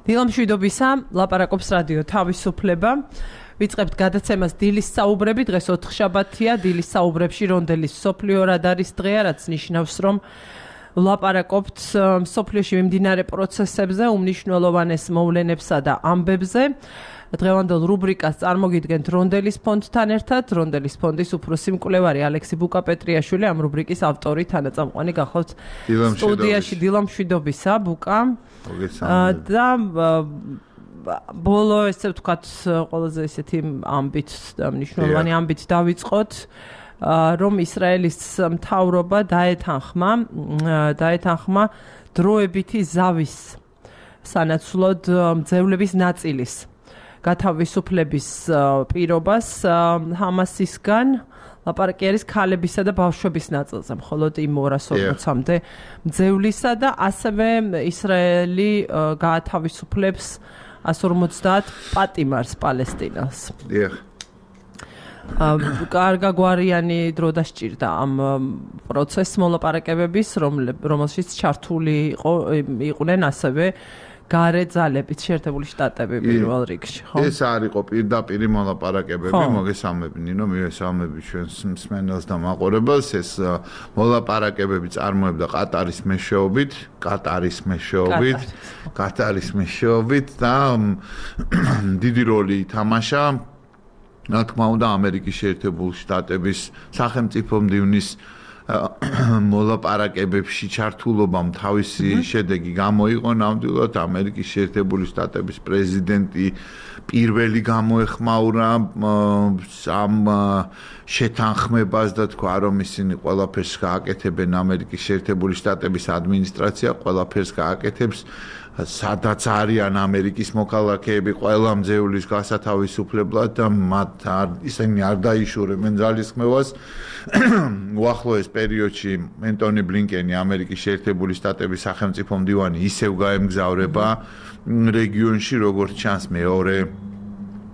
დილამშვიდობისა, ლაპარაკობს რადიო თავისუფლება. ვიწყებთ გადაცემას დილის საუბრები, დღეს ოთხშაბათია, დილის საუბრებში რონდელის მსოფლიო რადარის დღეა, რაც ნიშნავს, რომ ლაპარაკობთ მსოფლიოში მიმდინარე პროცესებზე, უმნიშვნელოვანეს მოვლენებსა და ამბებზე. დღევანდელ რუბრიკას წარმოგიდგენთ რონდელის ფონდთან ერთად, რონდელის ფონდის უფროსი მკვლევარი ალექსი ბუკა-პეტრიაშვილი, ამ რუბრიკის ავტორი, თანაწამყვანი გახლავთ სტუდიაში. დილამშვიდობისა, ბუკა. და ბოლო, ესე ვთქვათ, ყველაზე ესეთი ამბით და მნიშვნელოვანი ამბით დავიწყოთ, რომ ისრაელის მთავრობა დაეთანხმა დროებითი ზავის სანაცვლოდ მძევლების ნაწილის გათავისუფლების პირობას ჰამასისგან, ლაპარაკი არის ქალებისა და ბავშვების ნაწილზე, მხოლოდ იმ 240-მდე მძევლისა და ასევე ისრაელი გაათავისუფლებს 150 პატიმარს პალესტინას. კარგაგვარიანი დრო დასჭირდა ამ პროცესს მოლაპარაკებების, რომელშიც ჩართული იყვნენ ასევე გარე ძალებით შეერთებული შტატები პირველ რიგში, ხო? ეს არ იყო პირდაპირ მოლაპარაკებები, მოგესალმები ნინო, მივესალმები ჩვენს მსმენელს და მაყურებელს. ეს მოლაპარაკებები წარმოებდა ყატარის მეშვეობით და დიდი როლი ითამაშა, რა თქმა უნდა, ამერიკის შეერთებული შტატების სახელმწიფო მდივნის მოლაპარაკებებში ჩართულობამ თავისი შედეგი გამოიყო. ნამდვილად ამერიკის შეერთებული შტატების პრეზიდენტი პირველი გამოეხმაურა ამ შეთანხმებას და თქვა, რომ ისინი ყველაფერს გააკეთებენ, ამერიკის შეერთებული შტატების ადმინისტრაცია ყველაფერს გააკეთებს, სადაც არიან ამერიკის მოქალაქეები ყველა მძევლის გასათავისუფლებლად და ისინი არ დაიშურებენ ძალისხმევას. უახლოეს პერიოდში ენტონი ბლინკენი, ამერიკის შეერთებული შტატების სახელმწიფო მდივანი, ისევ გაემგზავრება რეგიონში, როგორც ჩანს მეორე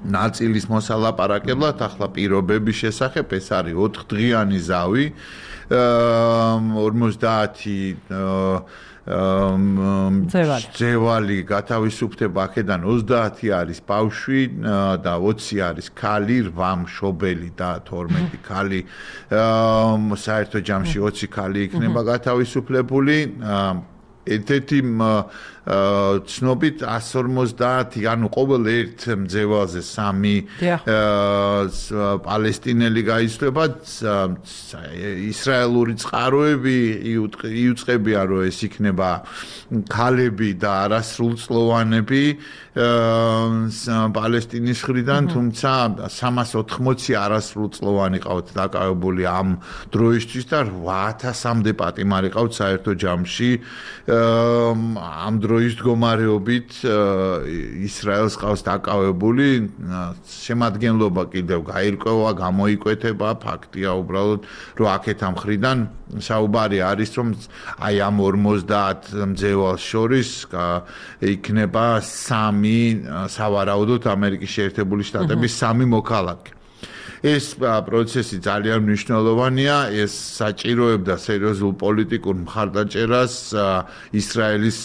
ნაწილის მოსალაპარაკებლად. ახლა პირობების შესახებ ეს არის 4დღიანი ზავი, 50 ძევალი გათავისუფლდება, აქედან 30 არის ბავშვი და 20 არის ქალი, 8 მშობელი და 12 ქალი. საერთო ჯამში 20 ქალი იქნება გათავისუფლებული. ერთ-ერთი ცნობით 150, ანუ ყოველ ერთ მძევალზე 3 პალესტინელი გაიცვლება. ისრაელური წყაროები იუწყებიან, რომ ეს იქნება ქალები და არასრულწლოვანები პალესტინის მხრიდან, თუმცა 380 არასრულწლოვანი ყავთ დაკავებული ამ დროისთვის და 8000-მდე პატიმარი ყავთ საერთო ჯამში. ამ დროის მდგომარეობით ისრაელს ყავს დაკავებული, შემადგენლობა კიდევ გაირკვევა, გამოიკვეთება, ფაქტია უბრალოდ, რომ აქეთ ამ მხრიდან საუბარი არის, რომ აი ამ 50 მძევალს შორის იქნება 3 სავარაუდოდ ამერიკის შეერთებული შტატების 3 მოქალაქე. ეს პროცესი ძალიან მნიშვნელოვანია, ეს საჭიროებდა სერიოზულ პოლიტიკურ მხარდაჭერას ისრაელის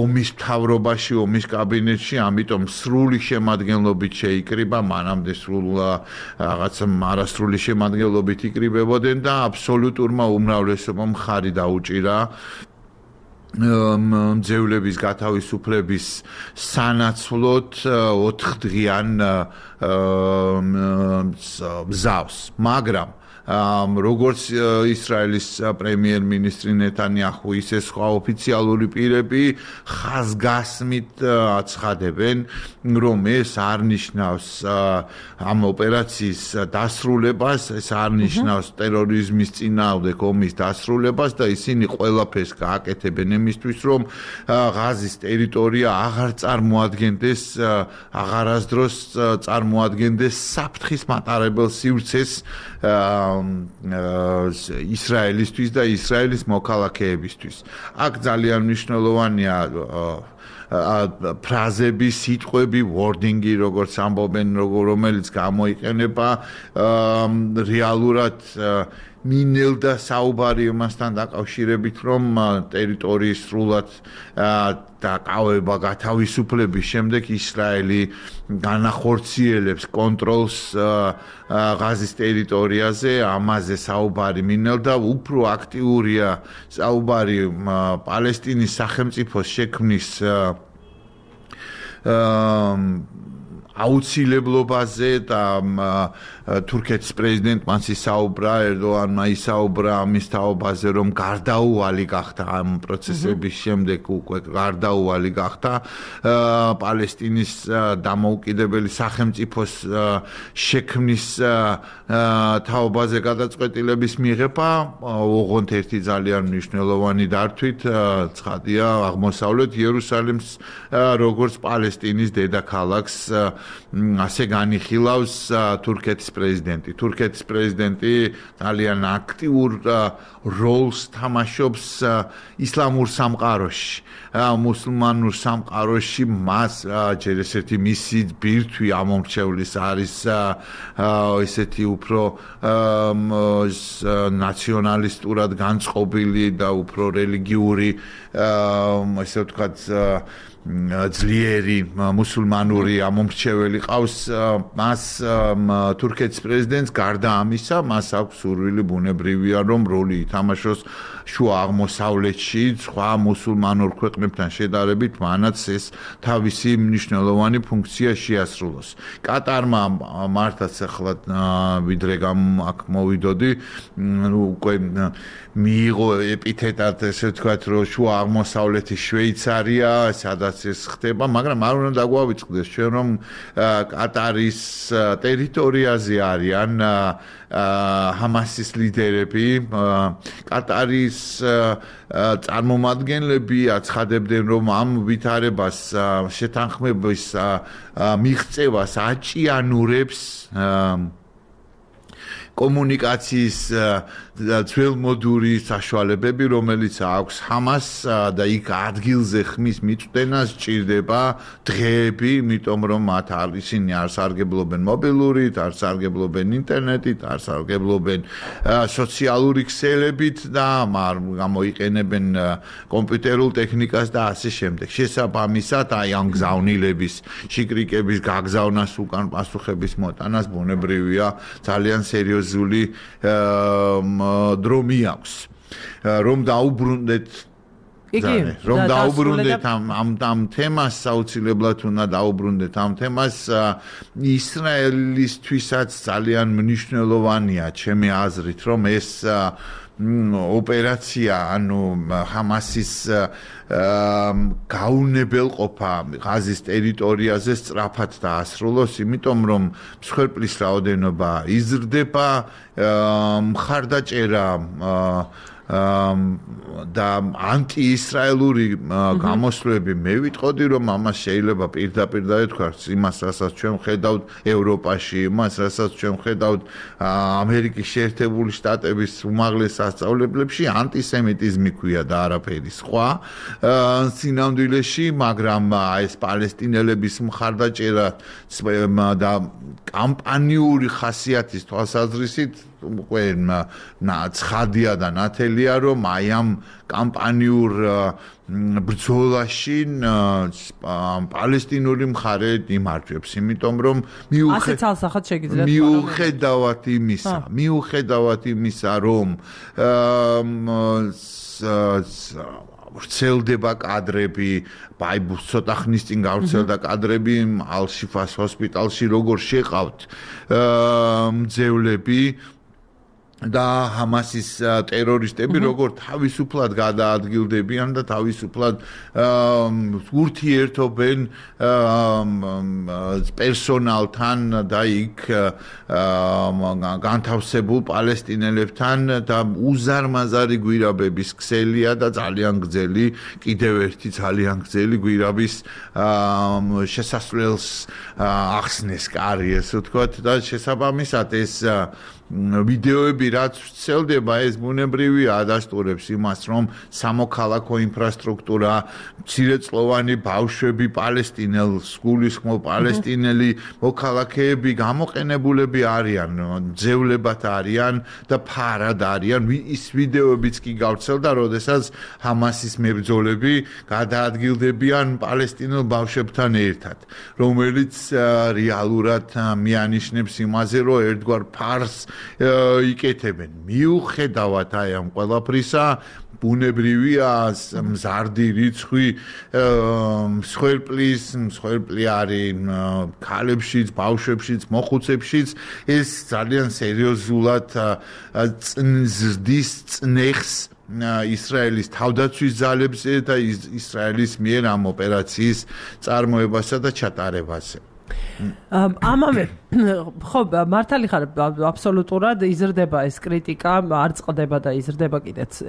ომის მთავრობაში, ომის კაბინეტში, ამიტომ სრული შემადგენლობით შეიკრიბა, მანამდე რაღაცა არასრული შემადგენლობით იკრიბებოდნენ და აბსოლუტურმა უმრავლესობამ მხარი დაუჭირა მძევლების გათავისუფლების სანაცვლოდ 4დღიან მზავს, მაგრამ როგორც ისრაელის პრემიერ-მინისტრი ნეტანიაჰუ, ისე სხვა ოფიციალური პირები ხაზგასმით აცხადებენ, რომ ეს არ ნიშნავს ამ ოპერაციის დასრულებას, ეს არ ნიშნავს ტერორიზმის წინააღმდეგ ომის დასრულებას და ისინი ყველაფერს გააკეთებენ იმისთვის, რომ ღაზის ტერიტორია აღარ წარმოადგენდეს, აღარასდროს წარმოადგენდეს საფრთხის მატარებელ სივრცეს ისრაელისთვის და ისრაელის მოქალაქეებისთვის. აქ ძალიან მნიშვნელოვანია ფრაზები, სიტყვები, wording-ი, როგორც ამბობენ, რომელიც გამოიყენება რეალურად მინელდა საუბარი მასთან დაკავშირებით, რომ ტერიტორიის სრულად დაკავება გათავისუფლების შემდეგ ისრაელი განახორციელებს კონტროლს ღაზის ტერიტორიაზე, ამაზე საუბარი მინელდა, უფრო აქტიურია საუბარი პალესტინის სახელმწიფოს შექმნის აუცილებლობაზე და თურქეთის პრეზიდენტმა ისაუბრა, ერდოღანმა ისაუბრა ამის თაობაზე, რომ გარდაუვალი გახდა ამ პროცესების შემდეგ უკვე გარდაუვალი გახდა პალესტინის დამოუკიდებელი სახელმწიფოს შექმნის თაობაზე გადაწყვეტილების მიღება, ოღონდ ერთი ძალიან მნიშვნელოვანი დართვით ცხადია აღმოსავლეთ იერუსალიმს როგორც პალესტინის დედაქალაქს ასე განიხილავს თურქეთის პრეზიდენტი. თურქეთის პრეზიდენტი ძალიან აქტიურ როლს თამაშობს ისლამურ სამყაროში. მუსლიმანურ სამყაროში მას ჯერ ესეთი მისი ბირთვი ამომრჩევლის არის ესეთი უფრო ნაციონალისტურად განწყობილი და უფრო რელიგიური ესე ვთქვათ ძლიერი მუსულმანური ამომრჩეველი ყავს მას თურქეთის პრეზიდენტს გარდა ამისა მას აქვს სურვილი ბუნებრივია რომ როლი ითამაშოს შუა აღმოსავლეთში სხვა მუსულმანურ ქვეყნებთან შედარებით მანაც ეს თავისი მნიშვნელოვანი ფუნქცია შეასრულოს. კატარმა მართლაც ახლა ვიდრე აქ მოვიდოდი უკვე მიიღო ეპითეტად ესე ვთქვათ რომ შუა აღმოსავლეთის შვეიცარია სადაც ეს ხდება, მაგრამ არ უნდა დაგვავიწყდეს ჩვენ რომ კატარის ტერიტორიაზე არიან ჰამასის ლიდერები, კატარის წარმომადგენლები აცხადებდნენ რომ ამ ვითარებას შეთანხმების მიღწევას აჭიანურებს კომუნიკაციის ძველმოდური საშუალებები, რომელიც აქვს ჰამას და იქ ადგილზე ხმის მიწვდენას ჭირდება დღეები, იმიტომ რომ მათ ისინი არ სარგებლობენ მობილურით, არ სარგებლობენ ინტერნეტით, არ სარგებლობენ სოციალური ქსელებით და არ გამოიყენებენ კომპიუტერულ ტექნიკას და ასე შემდეგ. შესაბამისად, აი ამ გზავნილების, შიკრიკების გაგზავნას უკან პასუხების მოტანას ბუნებრივია ძალიან სერიოზული დრომი აქვს რომ დაუბრუნდეთ რომ დაუბრუნდეთ ამ თემას აუცილებლად უნდა დაუბრუნდეთ ამ თემას ისრაელისთვისაც ძალიან მნიშვნელოვანია ჩემი აზრით რომ ეს ოპერაცია ანუ ჰამასის გაუნებელყოფა ღაზის ტერიტორიაზე სწრაფად დაასრულოს, იმიტომ რომ მსხვერპლის რაოდენობა იზრდება, მხარდაჭერა და ანტიისრაელური გამოსვლები მე ვიტყოდი რომ ამას შეიძლება პირდაპირ დაეთქვას იმას რასაც ჩვენ ხედავთ ევროპაში, იმას რასაც ჩვენ ხედავთ ამერიკის შეერთებული შტატების უმაღლეს სასწავლებლებში ანტისემიტიზმი ქვია და არაფერი სხვა სინამდვილეში, მაგრამ ეს პალესტინელების მხარდაჭერა და კამპანიური ხასიათის თვალსაზრისით უკვე ცხადია და ნათელია რომ აი ამ კამპანიურ ბრძოლაში პალესტინური მხარე იმარჯვებს, იმიტომ რომ მიუხედავად იმისა რომ ვრცელდება კადრები, ბაიბუს ცოტა ხნის წინ გავრცელდა კადრები ალ-შიფას ჰოსპიტალში როგორ შეყავთ მძევლები და ჰამასის ტერორისტები როგორ თავისუფლად გადაადგილდებიან და თავისუფლად ურთიერთობენ პერსონალთან და იქ განთავსებულ პალესტინელებთან და უზარმაზარი გვირაბების ქსელია და ძალიან გრძელი კიდევ ერთი ძალიან გრძელი გვირაბის შესასვლელს ახსნეს კარი, ესე ვთქვათ და შესაბამისად ეს ვიდეოები რაც ვცელდება ეს ბუნებრივი ადასტურებს იმას რომ სამოქალაქო ინფრასტრუქტურა მცირეწლოვანი ბავშვები პალესტინელ სგულისხმო პალესტინელი მოქალაქეები გამოყენებულები არიან ძევლებად არიან და ფარად არიან ის ვიდეოებიც კი გავრცელდა როდესაც ჰამასის მებრძოლები გადაადგილდებიან პალესტინელ ბავშვებთან ერთად რომელიც რეალურად მიანიშნებს იმაზე რომ ერთგვარ ფარს იკეთებენ მიუხედავად აი ამ ყველაფრისა ბუნებრივია მზარდი რიცხვი მსხვერპლი არის ქალებშიც ბავშვებშიც მოხუცებშიც ეს ძალიან სერიოზულად ზრდის წნეხს ისრაელის თავდაცვის ძალებზე და ისრაელის მიერ ამ ოპერაციის წარმოებასა და ჩატარებაზე ამავე ხო მართალი ხარ აბსოლუტურად იზრდება ეს კრიტიკა არ წყდება და იზრდება კიდეც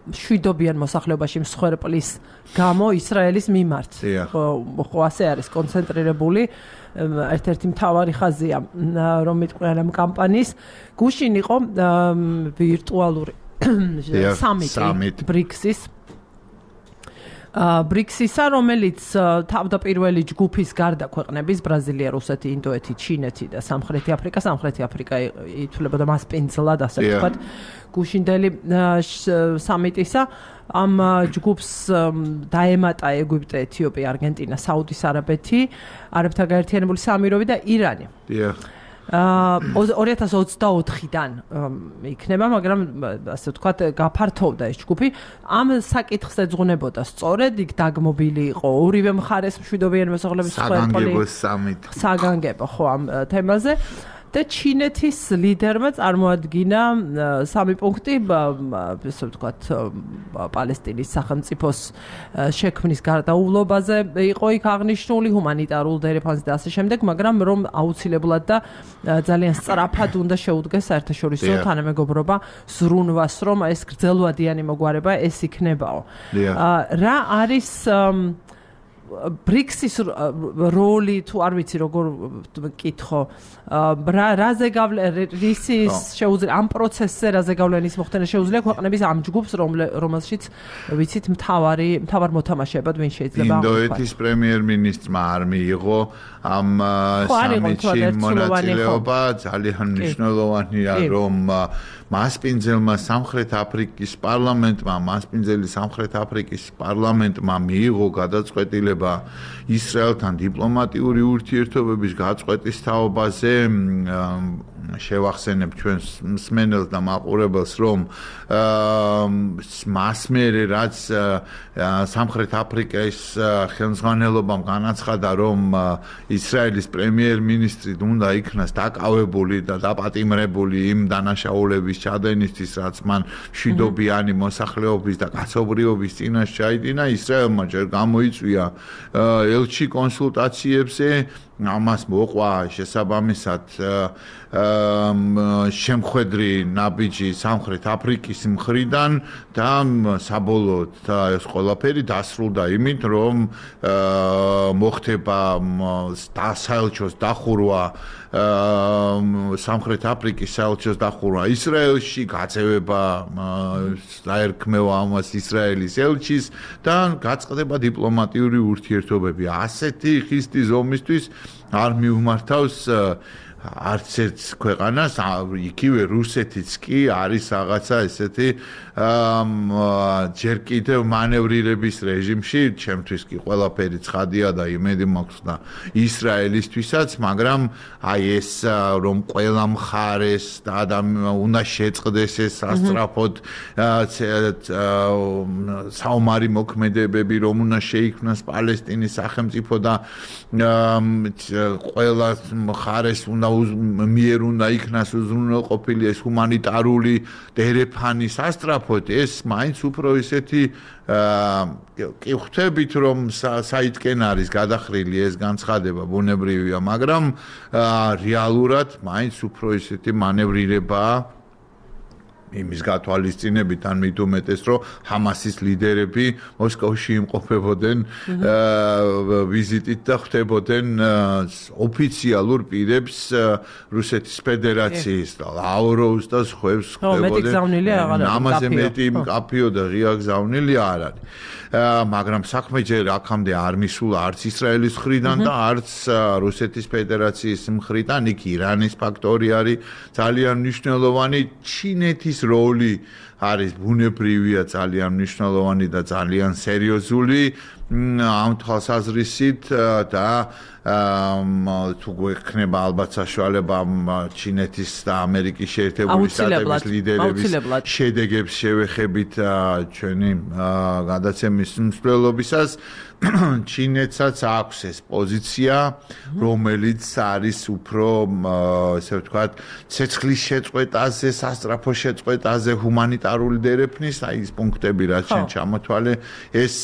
შვიდობიან მოსახლეობაში მსხვერპლის გამო ისრაელის მიმართ ხო ასე არის კონცენტრირებული ერთ-ერთი მთავარი ხაზია რომ მიტყვიან ამ კამპანიის გუშინ იყო ვირტუალური სამიტი ბრიქსისა, რომელიც თავდაპირველი ჯგუფის გარდა ქვეყნების ბრაზილია, რუსეთი, ინდოეთი, ჩინეთი და სამხრეთი აფრიკა ითვლებოდა მასპინძლად, ასე ვთქვათ, გუშინდელი სამიტისა ამ ჯგუფს დაემატა ეგვიპტე, ეთიოპია, არგენტინა, საუდის არაბეთი, არაბთა გაერთიანებული საამიროები და ირანი. 2024-დან იქნება, მაგრამ ასე ვთქვათ, გაფართოვდა ეს ჯგუფი. ამ საკითხს ეძღვნებოდა სწორედ იქ დაგმობილი იყო ორივე მხარეს მშვიდობიანი მოსახლეობის საგანგებო ხო ამ თემაზე. და ჩინეთის ლიდერმა წარმოადგინა 3 პუნქტი, ასე ვთქვათ, პალესტინის სახელმწიფოს შექმნის გარდაუვლობაზე იყო იქ აღნიშნული ჰუმანიტარულ დერეფანს და ასე შემდეგ, მაგრამ რომ აუცილებლად და ძალიან სწრაფად უნდა შეუდგეს საერთაშორისო თანამეგობრობა ზრუნვას, რომ ეს გრძელვადიანი მოგვარება ეს იქნებაო. რა არის ბრიქსის როლი თუ არ ვიცი როგორ მკითხო რაზე რისის შეუძლია ამ პროცესზე რაზე გავლენის მოხდენა შეუძლია ქვეყნების ამ ჯგუფს რომელშიც ვიცით მთავარ მოთამაშეებად ვინ შეიძლება ინდოეთის პრემიერ-მინისტრმა არ მიიღო ამ სამიტში მონაწილეობა ძალიან მნიშვნელოვანია რომ მასპინძელმა სამხრეთ აფრიკის პარლამენტმა მიიღო გადაწყვეტილება ისრაელთან დიპლომატიური ურთიერთობების გაწყვეტის თაობაზე შევახსენებ ჩვენს მსმენელს და მაყურებელს რომ მასმერე რაც სამხრეთ აფრიკის ხელმძღვანელობამ განაცხადა რომ ისრაელის პრემიერ-მინისტრი უნდა იქნას დაკავებული და დაპატიმრებული იმ დანაშაულების ჩადენისთვის რაც მან მშვიდობიანი მოსახლეობის და კაცობრიობის წინაშე ჩაიდინა ისრაელმა ჯერ გამოიწვია ელჩი კონსულტაციებზე ამას მოყვა შესაბამისად შემხედრი ნაბიჯი სამხრეთ საფრიკის მხრიდან და საბოლოოდ ეს ყველაფერი დასრულდა იმით რომ მოხდება საელჩოს დახურვა სამხრეთ აფრიკის საელჩოს დახურვა ისრაელში გაწევება დაერქმევა ამას ისრაელის ელჩის და გაწყდება დიპლომატიური ურთიერთობები ასეთი ხისტი ზომისთვის არ მიუმართავს არც ერთ ქვეყანას იქივე რუსეთიც კი არის რაღაცა ესეთი ჯერ კიდევ მანევრირების რეჟიმში ჩემთვის კი ყველაფერი ცხადია და იმედი მაქვს და ისრაელისთვისაც მაგრამ აი ეს რომ ყველა მხარეს და უნდა შეწყდეს ეს სასწრაფოდ საომარი მოქმედებები რომ უნდა შეიქმნას პალესტინის სახელმწიფო და ყველა მხარეს უნდა მიერ უნდა იქნას უზრუნველყოფილი ეს ჰუმანიტარული დერეფანი სასწრაფოდ ეს მაინც უფრო ისეთი კი ხვდებით რომ საითკენ არის გადახრილი ეს განცხადება ბუნებრივია მაგრამ რეალურად მაინც უფრო ისეთი მანევრირებაა იმის გათვალისწინებით ან მით უმეტეს რომ ჰამასის ლიდერები მოსკოვში იმყოფებოდნენ ვიზიტით და ხვდებოდნენ ოფიციალურ პირებს რუსეთის ფედერაციის და ლავროვს და სხვებს ხვდებოდნენ ამაზე მეტი მკაფიო და ღია გზავნილი არ არის მაგრამ საქმე ჯერ აქამდე არ მისულა არც ისრაელის მხრიდან და არც რუსეთის ფედერაციის მხრიდან იქ ირანის ფაქტორი არის ძალიან მნიშვნელოვანი ჩინეთის როლი არის ბუნებრივია ძალიან მნიშვნელოვანი და ძალიან სერიოზული ამ თვალსაზრისით და თუ გვექნება ალბათ საშუალება ჩინეთის და ამერიკის შეერთებული შტატების ლიდერების შედეგებს შევეხებით ჩვენი გადაცემის მსვლელობისას ჩინეთსაც აქვს ეს პოზიცია რომელიც არის უფრო ესე ვთქვათ ცეცხლის შეწყვეტაზე სასწრაფო შეწყვეტაზე ჰუმანიტარული დერეფნის აი ეს პუნქტები რაც შენ ჩამოთვალე ეს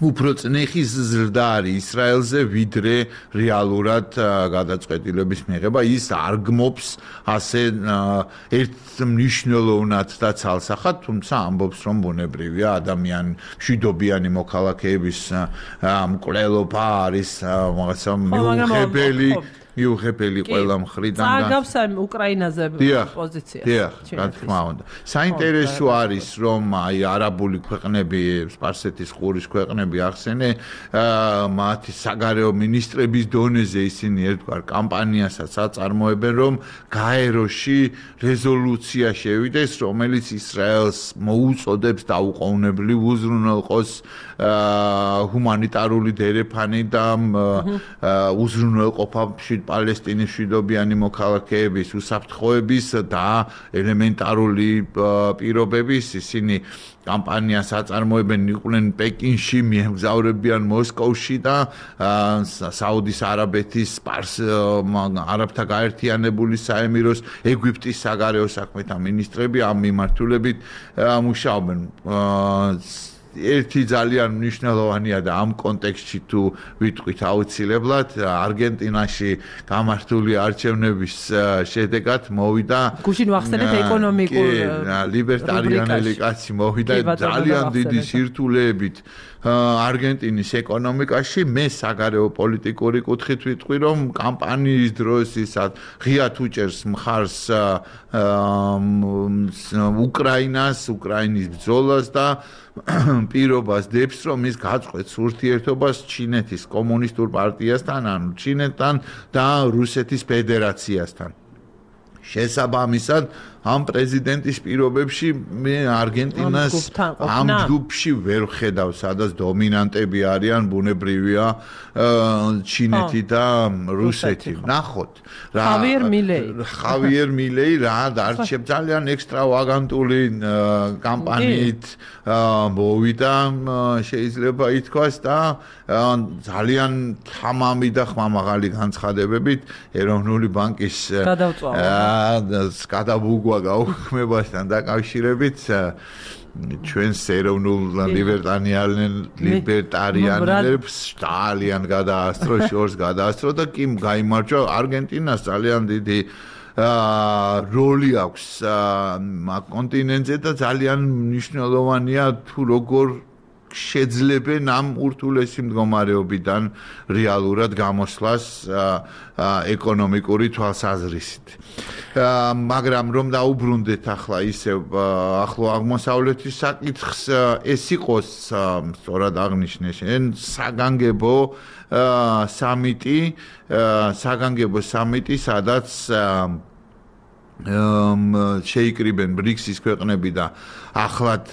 უფრო წნეხის ზრდა არის ისრაელზე ვიდრე რეალურად გადაწყვეტილების მიღება ის არ გმობს ასე ერთ მნიშვნელოვნად და ცალსახად თუმცა ამბობს რომ ბუნებრივია ადამიანი მშვიდობიანი მოქალაქეების მკვლელობა არის რაღაცა მიუღებელი ყველა მხრიდან და წაგავს ამ უკრაინაზე პოზიციას. დიახ, რა თქმა უნდა. საინტერესო არის რომ აი არაბული ქვეყნები, სპარსეთის ყურის ქვეყნები ახსენე, მათი საგარეო მინისტრების დონეზე ისინი ერთგვარ კამპანიასაც აწარმოებენ რომ გაეროში რეზოლუცია შევიდეს, რომელიც ისრაელს მოუწოდებს დაუყოვნებლივ უზრუნველყოს ჰუმანიტარული დერეფანი და უზრუნველყოფა პალესტინის მშვიდობიანი მოქალაქეების უსაფრთხოების და ელემენტარული პირობების ისინი კამპანიას აწარმოებენ იყვნენ პეკინში მიემგზავრებიან მოსკოვში და საუდის არაბეთის არაბთა გაერთიანებული საემიროს ეგვიპტის საგარეო საქმეთა მინისტრები ამ მიმართულებით მუშაობენ ერთი ძალიან მნიშვნელოვანია და ამ კონტექსტში თუ ვიტყვით აუცილებლად არგენტინაში გამართული არჩევნების შედეგად მოვიდა გუშინ ვახსენეთ ეკონომიკურ ლიბერტარიანელი კაცი მოვიდა ძალიან დიდი სირთულეებით არგენტინის ეკონომიკაში მე საგარეო პოლიტიკური კუთხით ვიტყვი რომ კამპანიის დროს ის ღიად უჭერს მხარს უკრაინის ბრძოლას და პირობას დებს რომ ის გაწყვეტს ურთიერთობას ჩინეთის კომუნისტურ პარტიასთან ანუ ჩინეთთან და რუსეთის ფედერაციასთან შესაბამისად ამ პრეზიდენტის პირობებში მე არგენტინას ამ ჯგუფში ვერ ხედავ, სადაც დომინანტები არიან ბუნებრივია ჩინეთი და რუსეთი. ნახოთ რა ხავიერ მილეი რა არჩევ ძალიან ექსტრავაგანტული კამპანიით მოვიდა შეიძლება ითქვას და ძალიან თამამი და ხმამაღალი განცხადებებით ეროვნული ბანკის გადაბუგვა გაუქმებასთან დაკავშირებით ჩვენს ეროვნულ ლიბერტარიანელებს ძალიან გადაასწრო შორს გადაასწრო და კი გაიმარჯვა არგენტინას ძალიან დიდი როლი აქვს კონტინენტზე და ძალიან მნიშვნელოვანია თუ როგორ შეძლებენ ამ ურთულესი მდგომარეობიდან რეალურად გამოსვლას ეკონომიკური თვალსაზრისით. მაგრამ რომ დაუბრუნდეთ ახლა ისევ ახლო აღმოსავლეთის საკითხს ეს იყოს სწორად აღნიშნე შენ საგანგებო სამიტი სადაც შეიკრიბენ ბრიქსის ქვეყნები და ახლად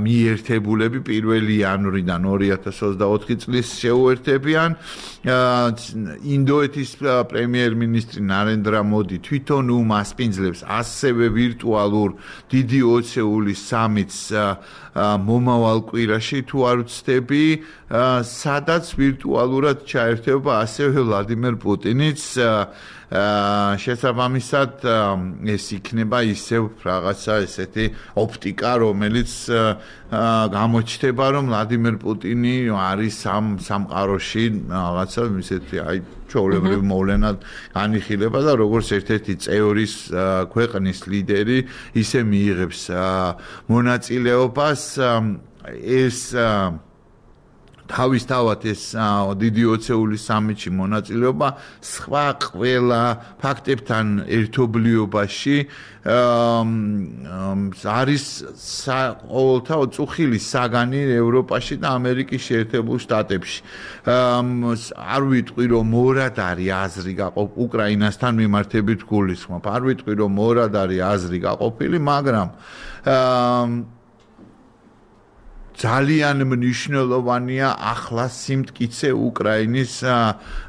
მიერთებულები 1 იანვრიდან 2024 წლის შეუერთებიან ინდოეთის პრემიერ-მინისტრი ნარენდრა მოდი თვითონ უმასპინძლებს ასევე ვირტუალურ დიდი ოცეული სამიტს მომავალ კვირაში თუ არ ვცდები სადაც ვირტუალურად ჩაერთება ასევე ვლადიმერ პუტინიც შესაბამისად ეს იქნება ისევ რაღაცა ესეთი ოპტიკა, რომელიც გამოჩნდება, რომ ვლადიმერ პუტინი არის სამყაროში რაღაცა ისეთი ჩვეულებრივი მოვლენად განიხილება და როგორც ერთ-ერთი წევრის ქვეყნის ლიდერი ისე მიიღებს მონაწილეობას ეს თავისთავად ეს დიდი ოცეული სამიტში მონაწილეობა სხვა ყველა ფაქტებთან ერთობლიობაში არის ყოველთა წუხილი საგანი ევროპაში და ამერიკის შეერთებულ შტატებში. არ ვიტყვი რომ მორად არის აზრი უკრაინასთან მიმართებით გულისხმობ. არ ვიტყვი რომ მორად არის აზრი გაყოფილი, მაგრამ ძალიან მნიშვნელოვანია ახლა სიმტკიცე უკრაინის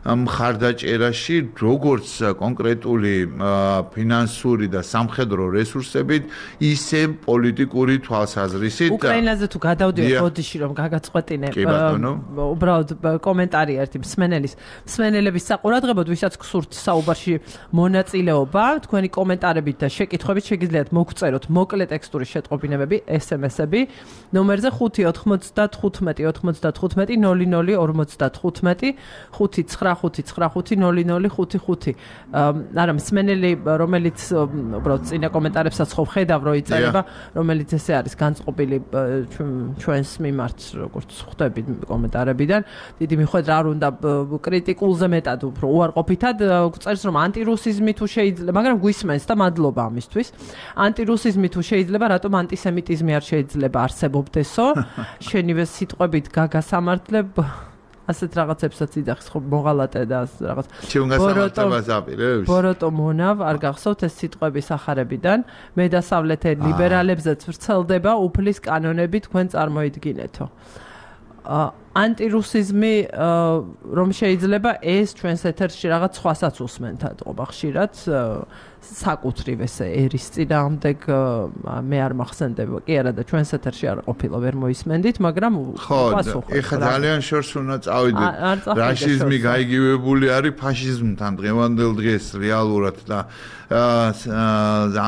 მხარდაჭერაში, როგორც კონკრეტული ფინანსური და სამხედრო რესურსებით, ისე პოლიტიკური თვალსაზრისით. უკრაინაზე თუ გადავდივარ ბოდიში რომ გაგაწყვეტინე, უბრალოდ კომენტარი ერთი მსმენელების საყურადღებოდ, ვისაც გსურთ საუბარში მონაწილეობა, თქვენი კომენტარებით და შეკითხვებით შეგიძლიათ მოგწეროთ მოკლე ტექსტური შეტყობინებები, SMS-ები, ნომერზე 5 95 00 55 595 არა მსმენელი რომელიც უბრალოდ წინა კომენტარებსაც ხო ხედავ რომ იწერება რომელიც ესე არის განწყობილი ჩვენს მიმართ როგორც ხვდები კომენტარებიდან დიდი მიხვედრა არ უნდა კრიტიკულზე მეტად უფრო უარყოფითად წერს რომ ანტირუსიზმი თუ შეიძლება მაგრამ გვისმენს და მადლობა ამისთვის ანტირუსიზმი თუ შეიძლება რატომ ანტისემიტიზმი არ შეიძლება არსებობდესო შენივე სიტყვებით გაგასამართლებ ასეთ რაღაცებსაც იძახის ხო მოღალატე და რაღაც ბოროტო მონავ არ გახსოვთ ეს სიტყვების ახარებიდან მე დასავლეთ ლიბერალებზეც ვრცელდება უფლის კანონები თქვენ წარმოიდგინეთო ანტირუსიზმი რომ შეიძლება ეს ჩვენს ეთერში რაღაც სხვასაც უსმენთ ატყობა ხშირად საკუთრივ ესე ერის წინააღმდეგ მე არ მახსენდება კი არა და ჩვენს ეთერში არ ყოფილა ვერ მოისმენდით მაგრამ პასუხი ეხა ძალიან შორს უნდა წავიდეთ რაშიზმი გაიგივებული არის ფაშიზმთან დღევანდელ დღეს რეალურად და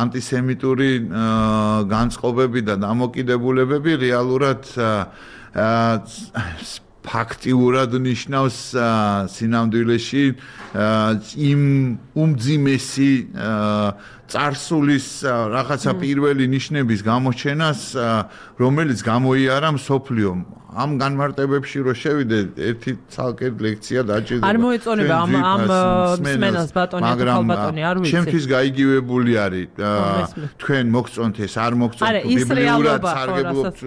ანტისემიტური განწყობები და დამოკიდებულებები რეალურად ფაქტიურად ნიშნავს სინამდვილეში იმ უმძიმესი წარსულის რაღაცა პირველი ნიშნების გამოჩენას რომელიც გამოიარა მსოფლიომ ამ განმარტებებში რო შევიდეთ ერთი ცალკე ლექცია დაჭირდება არ მოეწონება ამ მსმენელს ბატონი ხალბატონი არ ვიცი ჩემთვის გაიგივებული არის თქვენ მოგწონთ ეს არ მოგწონთ ბიბლიურად სარგებლობთ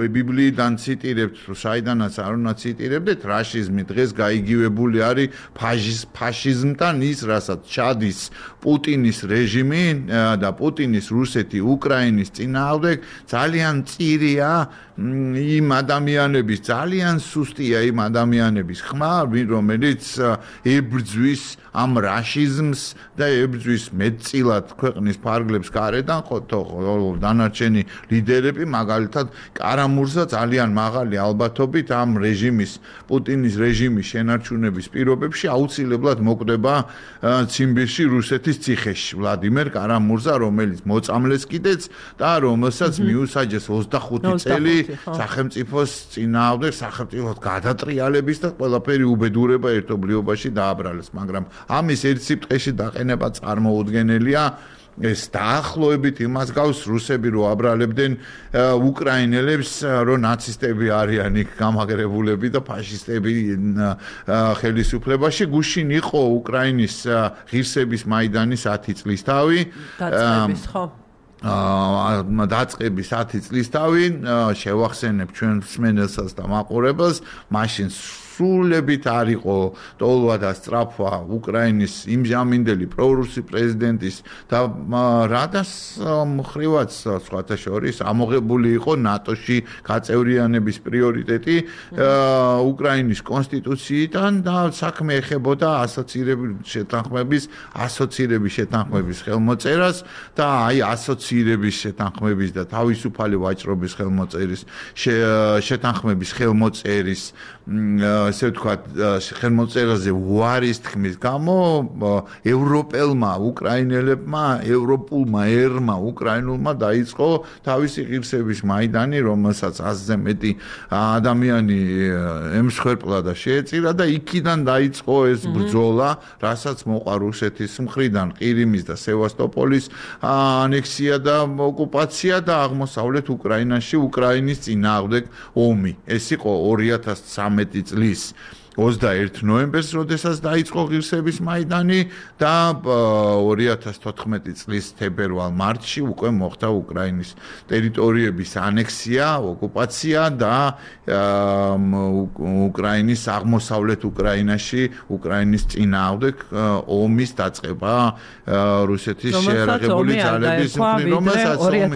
ბიბლიიდან ციტირებთ საიდანაც არ უნდა ციტირებდეთ რაშიზმი დღეს გაიგივებული არის ფაშიზმთან ის რასაც ჩადის პუტინის რეჟიმი და პუტინის რუსეთი უკრაინის წინააღმდეგ ძალიან წირია იმ ადამიანების ძალიან სუსტია იმ ადამიანების ხმა რომელიც ებრძვის ამ რაშიზმს და ებრძვის მეტწილად ქვეყნის ფარგლებს გარედან ხო დანარჩენი ლიდერები მაგალითად კარამურსა ძალიან მაღალი ალბათობით ამ რეჟიმის პუტინის რეჟიმის შენარჩუნების პირობებში აუცილებლად მოკვდება ციმბირში რუსეთის ციხეში ვლადიმერ კარამურსა რომელიც მოწამლეს კიდეც და რომელსაც მიუსაჯეს 25 წელი სახელმწიფოს წინააღმდეგ სახელმწიფოს გადატრიალების და ყველაფერი უბედურება ერთობლიობაში დააბრალეს მაგრამ ამის ერთ სიტყვაში დაყენება წარმოუდგენელია ეს დაახლოებით იმას გავს რუსები რო აბრალებდნენ უკრაინელებს რო ნაცისტები არიან იქ გამაგრებულები და ფაშისტები ხელისუფლებაში გუშინ იყო უკრაინის ღირსების მაიდანის 10 წლის თავი დაწყების ხო დაწყების 10 წლის თავი შევახსენებ ჩვენ მსმენელსაც და მაყურებელს მაშინ სულებით არ იყო ტოლვა და სწრაფვა უკრაინის იმჟამინდელი პრორუსი პრეზიდენტის და რადას მხრივაც სხვათა შორის ამოღებული იყო ნატოში გაწევრიანების პრიორიტეტი უკრაინის კონსტიტუციიდან და საქმე ეხებოდა ასოცირების შეთანხმების ხელმოწერას და აი ასოცირების შეთანხმების და თავისუფალი ვაჭრობის ხელმოწერის შეთანხმების ხელმოწერის ესე ვთქვათ, ხელმოწერაზე უარის თქმის გამო ევროპელმა უკრაინელებმა, ევროპულმა ერმა უკრაინულმა დაიწყო თავისი ღირსების მაიდანი, რომელსაც 100-ზე მეტი ადამიანი ემსხვერპლა და შეეწირა და იქიდან დაიწყო ეს ბრძოლა, რასაც მოყვა რუსეთის მხრიდან ყირიმის და სევასტოპოლის ანექსია და ოკუპაცია და აღმოსავლეთ უკრაინაში უკრაინის წინააღმდეგ ომი. ეს იყო 2013 წლის 21 ნოემბერს, როდესაც დაიწყო ღირსების მაიდანი და 2014 წლის თებერვალ-მარტში უკვე მოხდა უკრაინის ტერიტორიების ანექსია, ოკუპაცია და უკრაინის აღმოსავლეთ უკრაინაში უკრაინის წინააღმდეგ ომის დაწყება რუსეთის შეერაღებული ძალების მხრიდან,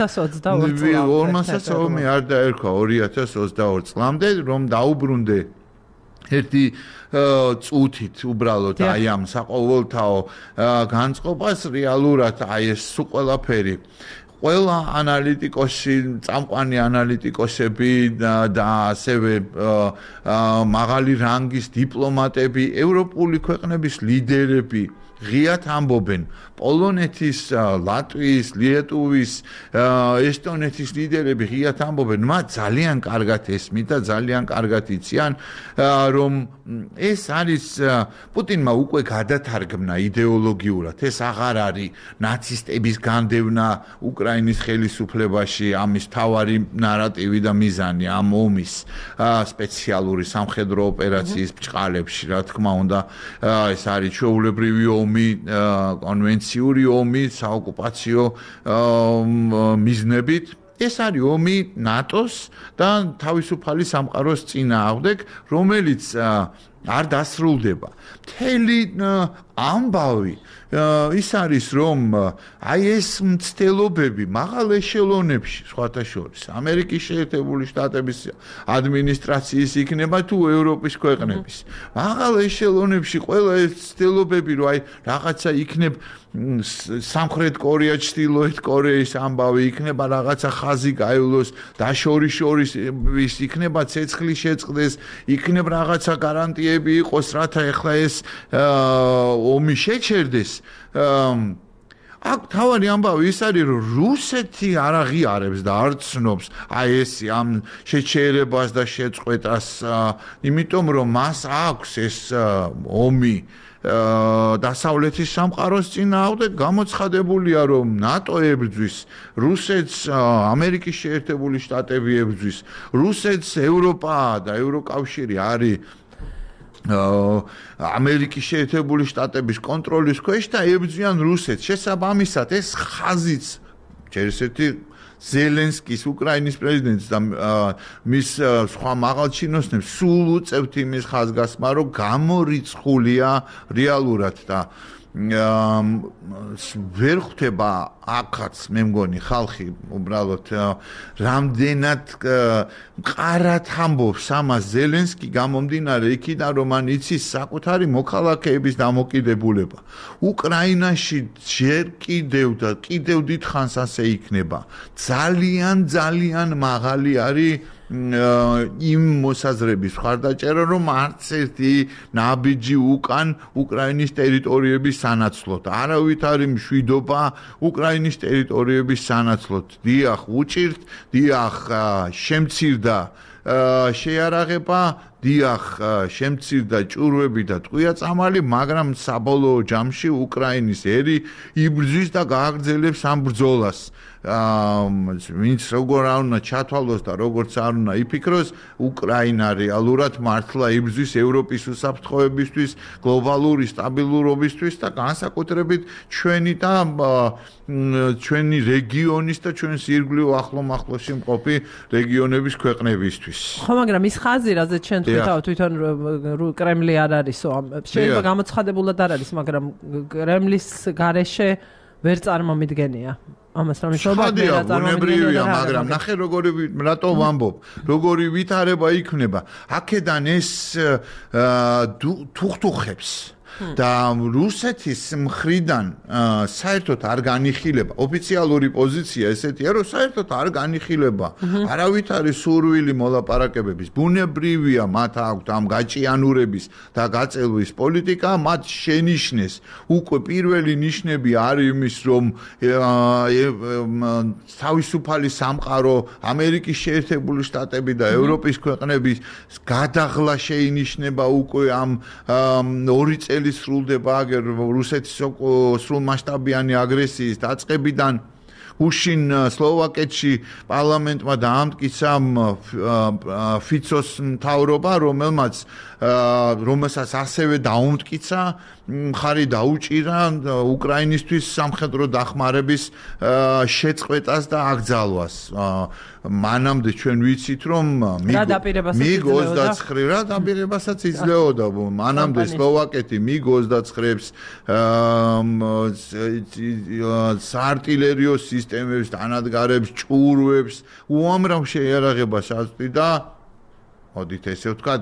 რომელსაც ომი არ დაერქვა 2022 წლამდე, რომ დაუბრუნდე ერთი წუთით უბრალოდ აი ამ საყოველთაო განწყობას რეალურად აი ეს ყველაფერი ყველა ანალიტიკოსი, წამყვანი ანალიტიკოსები და ასევე მაღალი რანგის დიპლომატები, ევროპული ქვეყნების ლიდერები ღიად ამბობენ პოლონეთის, ლატვიის, ლიეტუვის, ესტონეთის ლიდერები ღიად ამბობენ, მათ ძალიან კარგად ესმით და ძალიან კარგად იციან, რომ ეს არის პუტინმა უკვე გადათარგმნა იდეოლოგიურად, ეს აღარ არის ნაცისტების განდევნა უკრაინის ხელისუფლებაში, ამის თავარი ნარატივი და მიზანი ამ ომის სპეციალური სამხედრო ოპერაციის ბჭყალებში, რა თქმა უნდა, ეს არის ჩვეულებრივი ომი, კონვენციური ომი, საოკუპაციო მიზნებით. ეს არის ომი ნატოს და თავისუფალი სამყაროს წინააღმდეგ, რომელიც არ დასრულდება. მთელი ამბავი ის არის, რომ აი ეს მცდელობები მაღალ ეშელონებში, სხვათა შორის, ამერიკის შეერთებული შტატების ადმინისტრაციის იქნება თუ ევროპის ქვეყნების. მაღალ ეშელონებში ყველა ეს მცდელობები, რომ აი რაღაცა იქნებ სამხრეთ კორეა, ჩრდილოეთ კორეის ამბავი იქნება, რაღაცა ხაზი გაივლოს, დაშორის იქნება ცეცხლი შეწყდეს, იქნება რაღაცა გარანტიები იყოს, რათა ეხლა ეს ომი შეჩერდეს. აქ თავარი ამბავი ის არის, რომ რუსეთი არ აღიარებს და არ ცნობს აი ეს ამ შეჩერებას და შეწყვეტას, იმიტომ რომ მას აქვს ეს ომი დასავლეთის სამყაროს წინააღმდეგ გამოცხადებულია, რომ ნატო ებრძვის რუსეთს, ამერიკის შეერთებული შტატები ებრძვის რუსეთს, ევროპა და ევროკავშირი არის ამერიკის შეერთებული შტატების კონტროლის ქვეშ და ებრძვიან რუსეთს. შესაბამისად, ეს ხაზიც ჯერისერთი ზელენსკის უკრაინის პრეზიდენტს და მის სხვა მაღალჩინოსნებს სულ უწევთ იმის ხაზგასმა, რომ გამორიცხულია რეალურად და ვერ ხვდება აქაც მე მგონი ხალხი უბრალოდ რამდენად მყარად ამბობს ამას ზელენსკი გამომდინარე იქიდან, რომ მან იცის საკუთარი მოქალაქეების დამოკიდებულება. უკრაინაში ჯერ კიდევ და კიდევ დიდხანს ასე იქნება. ძალიან მაღალი არის იმ მოსაზრების მხარდაჭერა, რომ არც ერთი ნაბიჯი უკან უკრაინის ტერიტორიების სანაცვლოდ. არავით არის მშვიდობა უკრაინის ტერიტორიების სანაცვლოდ. დიახ, უჭირთ, დიახ, შემცირდა შეარაღება, დიახ, შემცირდა ჭურვები და ტყვია-წამალი, მაგრამ საბოლოო ჯამში უკრაინის ერი იბრძვის და გააგრძელებს ამ ბრძოლას. ვინც როგორ არ უნდა ჩათვალოს და როგორც არ უნდა იფიქროს, უკრაინა რეალურად მართლა იბრძვის ევროპის უსაფრთხოებისთვის, გლობალური სტაბილურობისთვის და განსაკუთრებით ჩვენი და ჩვენი რეგიონის და ჩვენს ირგვლივ ახლო-მახლოში მყოფი რეგიონების ქვეყნებისთვის. ხო, მაგრამ ის ხაზი, რაზეც ჩვენ თვითონ კრემლი არ არისო, შეიძლება გამოცხადებულად არ არის, მაგრამ კრემლის გარეშე ვერ წარმომიდგენია. ამას რამე შობადია ბუნებრივია, მაგრამ ნახე როგორი რატო ვამბობ, როგორი ვითარება იქნება. აქედან ეს თუხთუხებს და რუსეთის მხრიდან საერთოდ არ განიხილება ოფიციალური პოზიცია ესეთია რომ საერთოდ არ განიხილება არავითარი სურვილი მოლაპარაკებების ბუნებრივია მათ აქვთ ამ გაჭიანურების და გაწელვის პოლიტიკა მათ შენიშნეს უკვე პირველი ნიშნები არის იმის რომ თავისუფალი სამყარო ამერიკის შეერთებული შტატები და ევროპის ქვეყნების გადაღლა შეინიშნება უკვე ამ 2 წელი სრულდება აგერ რუსეთის სრულმასშტაბიანი აგრესიის დაწყებიდან უშინ სლოვაკეთში პარლამენტმა დაამტკიცა ფიცოს მთავრობა რომელსაც ასევე დაუმტკიცა მხარი დაუჭირა უკრაინისთვის სამხედრო დახმარების შეწყვეტას და აკრძალვას მანამდე ჩვენ ვიცით რომ მიგ 29 რა დაპირებასაც იძლეოდა მანამდე სლოვაკეთი მიგ 29-ს საარტილერიო სისტემებს დანადგარებს ჭურვებს უამრავ შეიარაღებას აწვდიდა მოდით ესე ვთქვათ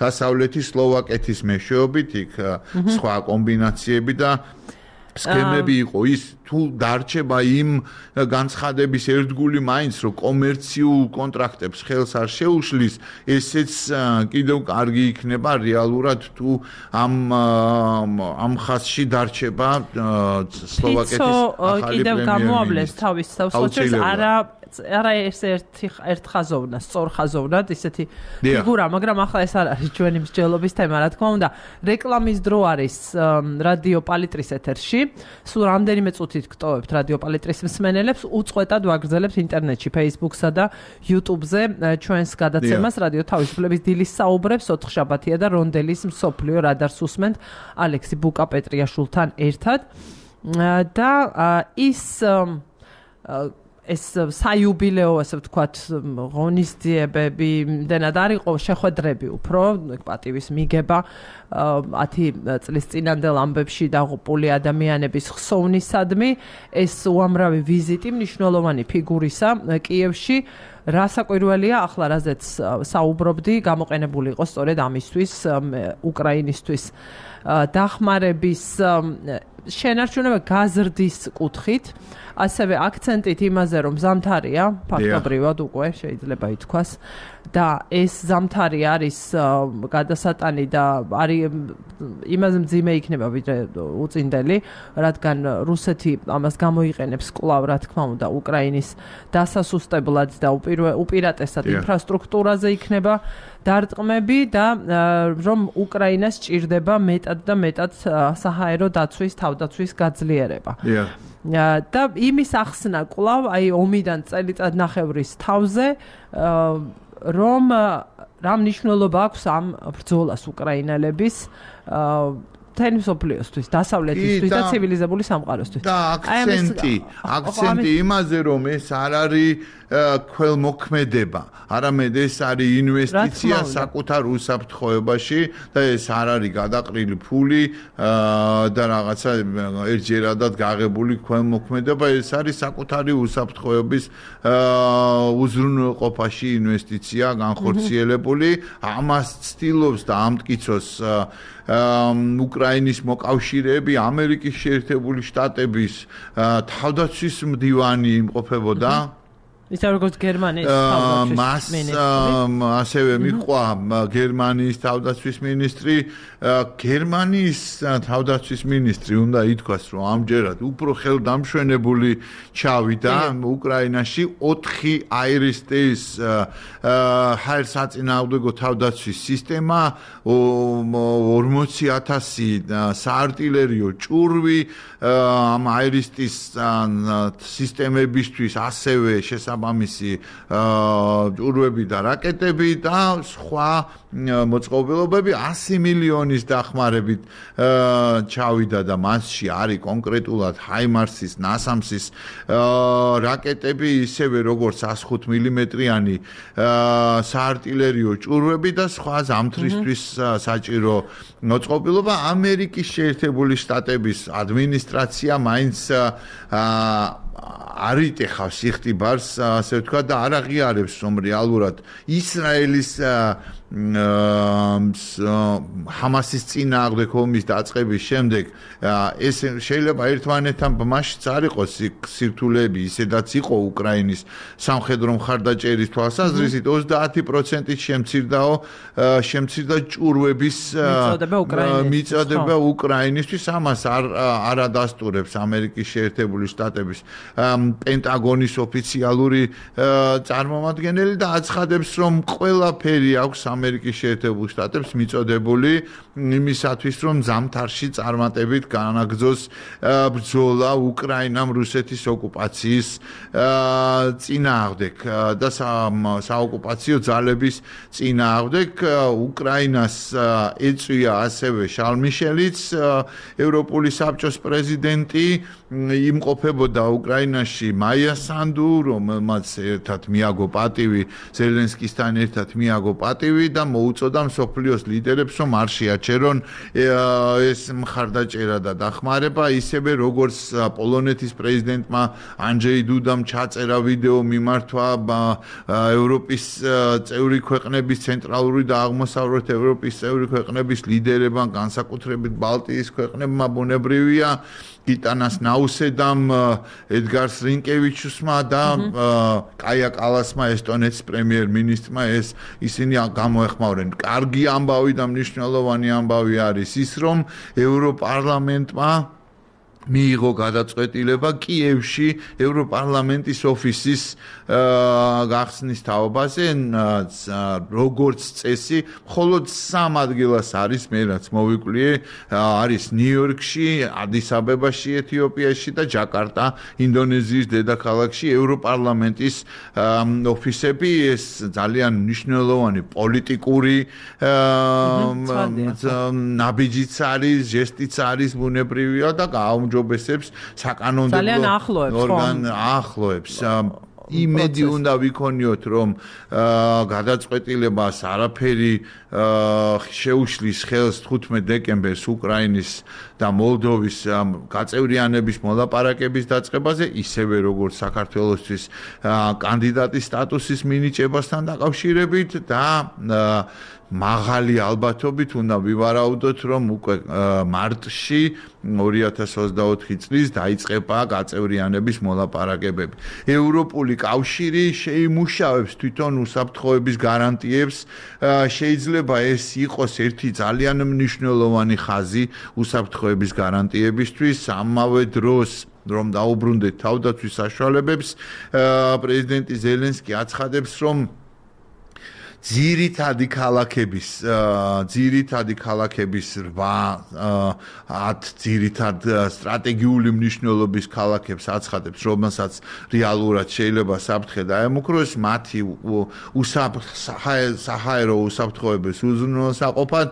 დასავლეთის სლოვაკეთის მეშვეობით იქ სხვა კომბინაციები და სქემები იყო ის თუ დარჩება იმ განცხადების ერთგული მაინც რომ კომერციულ კონტრაქტებს ხელს არ შეუშლის ესეც კიდევ კარგი იქნება რეალურად თუ ამ ხაზში დარჩება სლოვაკეთის ახალი კიდევ გამოავლეს თავის სოციალურ არა ერთ ხაზოვნად, სწორ ხაზოვნად ისეთი ფიგურა, მაგრამ ახლა ეს არ არის ჩვენი მსჯელობის თემა, რა თქმა უნდა. რეკლამის დრო არის რადიო პალიტრის ეთერში. სულ რამდენიმე წუთით გტოვებთ რადიო პალიტრის მსმენელებს, უწყვეტად ვაგრძელებთ ინტერნეტში, Facebook-სა და YouTube-ზე ჩვენს გადაცემას რადიო თავისუფლების დილის საუბრებს 4 შაბათია და რონდელის მსოფლიო რადარს უსმენთ ალექსი ბუკა-პეტრიაშვილთან ერთად. და ეს საიუბილეო, ასე ვთქვათ, ღონისძიებები, იმდენად არ იყო შეხვედრები უფრო, პატივის მიგება 10 წლის წინანდელ ამბებში დაღუპული ადამიანების ხსოვნისადმი, ეს უამრავი ვიზიტი მნიშვნელოვანი ფიგურისა კიევში, რა საკვირველია, ახლა რაზეც საუბრობდი, გამოყენებული იყო სწორედ ამისთვის, უკრაინისთვის დახმარების შენარჩუნება გაზრდის კუთხით, ასევე აქცენტით იმაზე, რომ ზამთარია, ფაქტობრივად უკვე შეიძლება ითქვას, და ეს ზამთარი არის გადასატანი და არის იმაზე მძიმე იქნება ვიდრე უწინდელი, რადგან რუსეთი ამას გამოიყენებს კვლავ, რა თქმა უნდა, უკრაინის დასასუსტებლად და უპირატესად ინფრასტრუქტურაზე იქნება დარტყმები და რომ უკრაინას სჭირდება მეტად და მეტად საჰაერო დაცვის, თავდაცვის გაძლიერება. და იმის ახსნა კვლავ, აი ომიდან წელიწადნახევრის თავზე, რომ რა მნიშვნელობა აქვს ამ ბრძოლას უკრაინელების მთელი მსოფლიოსთვის, დასავლეთისთვის და ცივილიზებული სამყაროსთვის. და აქცენტი იმაზე, რომ ეს არ არის ქველმოქმედება, არამედ ეს არის ინვესტიცია საკუთარ უსაფრთხოებაში და ეს არ არის გადაყრილი ფული და რაღაცა ერთჯერადად გაღებული ქველმოქმედება, ეს არის საკუთარი უსაფრთხოების უზრუნველყოფაში ინვესტიცია განხორციელებული, ამას ცდილობს და ამტკიცოს უკრაინის მოკავშირეები, ამერიკის შეერთებული შტატების თავდაცვის მდივანი იმყოფებოდა. ისე როგორც გერმანიის თავდაცვის მინისტრი. ასევე მიჰყვა გერმანიის თავდაცვის მინისტრი. გერმანიის თავდაცვის მინისტრი უნდა ითქვას, რომ ამჯერად უფრო ხელდამშვენებული ჩავიდა უკრაინაში 4 აირისტეის ჰაერსაწინააღმდეგო თავდაცვის სისტემა, 40,000 საარტილერიო ჭურვი, ამ აირისტის სისტემებისთვის ასევე შესაბამისი ჭურვები და რაკეტები და სხვა მოწყობილობები 100 მილიონის დახმარებით ჩავიდა და მასში არის კონკრეტულად ჰაიმარსის, ნასამსის რაკეტები, ისევე როგორც 105 მმ-იანი საარტილერიო ჭურვები და სხვა ზამთრისთვის საჭირო მოწყობილობა. ამერიკის შეერთებული შტატების ადმინისტრაცია მაინც არ იტეხავს იხტიბარს, ასე ვთქვათ, და არ აღიარებს, რომ რეალურად ისრაელის ჰამასის წინააღმდეგ ომის დაწყების შემდეგ ეს შეიძლება ერთმანეთთან ბმაშიც არ იყოს სირთულეები ისედაც იყო უკრაინის სამხედრო მხარდაჭერის თვალსაზრისით 30%-ით შემცირდა ჭურვების მიწოდება უკრაინისთვის ამას არ ადასტურებს ამერიკის შეერთებული შტატების პენტაგონის ოფიციალური წარმომადგენელი და აცხადებს რომ ყველაფერი აქვს ამერიკის შეერთებულ შტატებს მიწოდებული იმისათვის რომ ზამთარში წარმატებით განაგრძოს ბრძოლა უკრაინამ რუსეთის ოკუპაციის წინააღმდეგ და საოკუპაციო ძალების წინააღმდეგ უკრაინას ეწვია ასევე შარლ მიშელიც ევროპული საბჭოს პრეზიდენტი იმყოფებოდა უკრაინაში მაია სანდუ რომელმაც ერთად მიაგო პატივი ზელენსკისთან ერთად მიაგო პატივი და მოუწოდა მსოფლიოს ლიდერებს რომ არ შეაჩერონ ეს მხარდაჭერა და დახმარება ისევე როგორც პოლონეთის პრეზიდენტმა ანჯეი დუდამ ჩაწერა ვიდეო მიმართვა ევროპის წევრი ქვეყნების ცენტრალური და აღმოსავლეთ ევროპის წევრი ქვეყნების ლიდერებმა განსაკუთრებით ბალტიის ქვეყნებმა ბუნებრივია გიტანას ნაუსედამ ედგარ რინკევიჩუსმა და კაია კალასმა ესტონეთის პრემიერ-მინისტრმა ისინი გამოეხმაურენ. კარგი ამბავი და მნიშვნელოვანი ამბავი არის ის, რომ ევროპარლამენტმა მიიღო გადაწყვეტილება კიევში ევროპარლამენტის ოფისის გახსნის თაობაზე როგორც წესი მხოლოდ 3 ადგილას არის მე რაც მოვიკვლიე არის ნიუ-იორკში, ადის-აბებაში ეთიოპიაში და ჯაკარტა ინდონეზიის დედაქალაქში ევროპარლამენტის ოფისები ეს ძალიან მნიშვნელოვანი პოლიტიკური ნაბიჯიც არის, ჟესტიც არის ბუნებრივია და გააუმჯობესებს საკანონმდებლო ახლოებს იმედი უნდა ვიქონიოთ რომ გადაწყვეტილებას არაფერი შეუშლის ხელს 15 დეკემბერს უკრაინის და მოლდოვის გაწევრიანების მოლაპარაკების დაწყებაზე ისევე როგორც საქართველოსთვის კანდიდატის სტატუსის მინიჭებასთან დაკავშირებით და მაღალი ალბათობით უნდა ვივარაუდოთ რომ უკვე მარტში 2024 წლის დაიწყება გაწევრიანების მოლაპარაკებები. ევროპული კავშირი შეიმუშავებს თვითონ უსაფრთხოების გარანტიებს შეიძლება ეს იყოს ერთი ძალიან მნიშვნელოვანი ხაზი უსაფრთხოების გარანტიებისთვის ამავე დროს რომ დაუბრუნდეთ თავდაცვის საშუალებებს პრეზიდენტი ზელენსკი აცხადებს რომ ძირითადი ქალაქების 8 ძირითად სტრატეგიული მნიშვნელობის ქალაქებს აცხადებს, რომელსაც რეალურად შეიძლება საფრთხე დაემუქროს, მათი საჰაერო უსაფრთხოების უზრუნველსაყოფად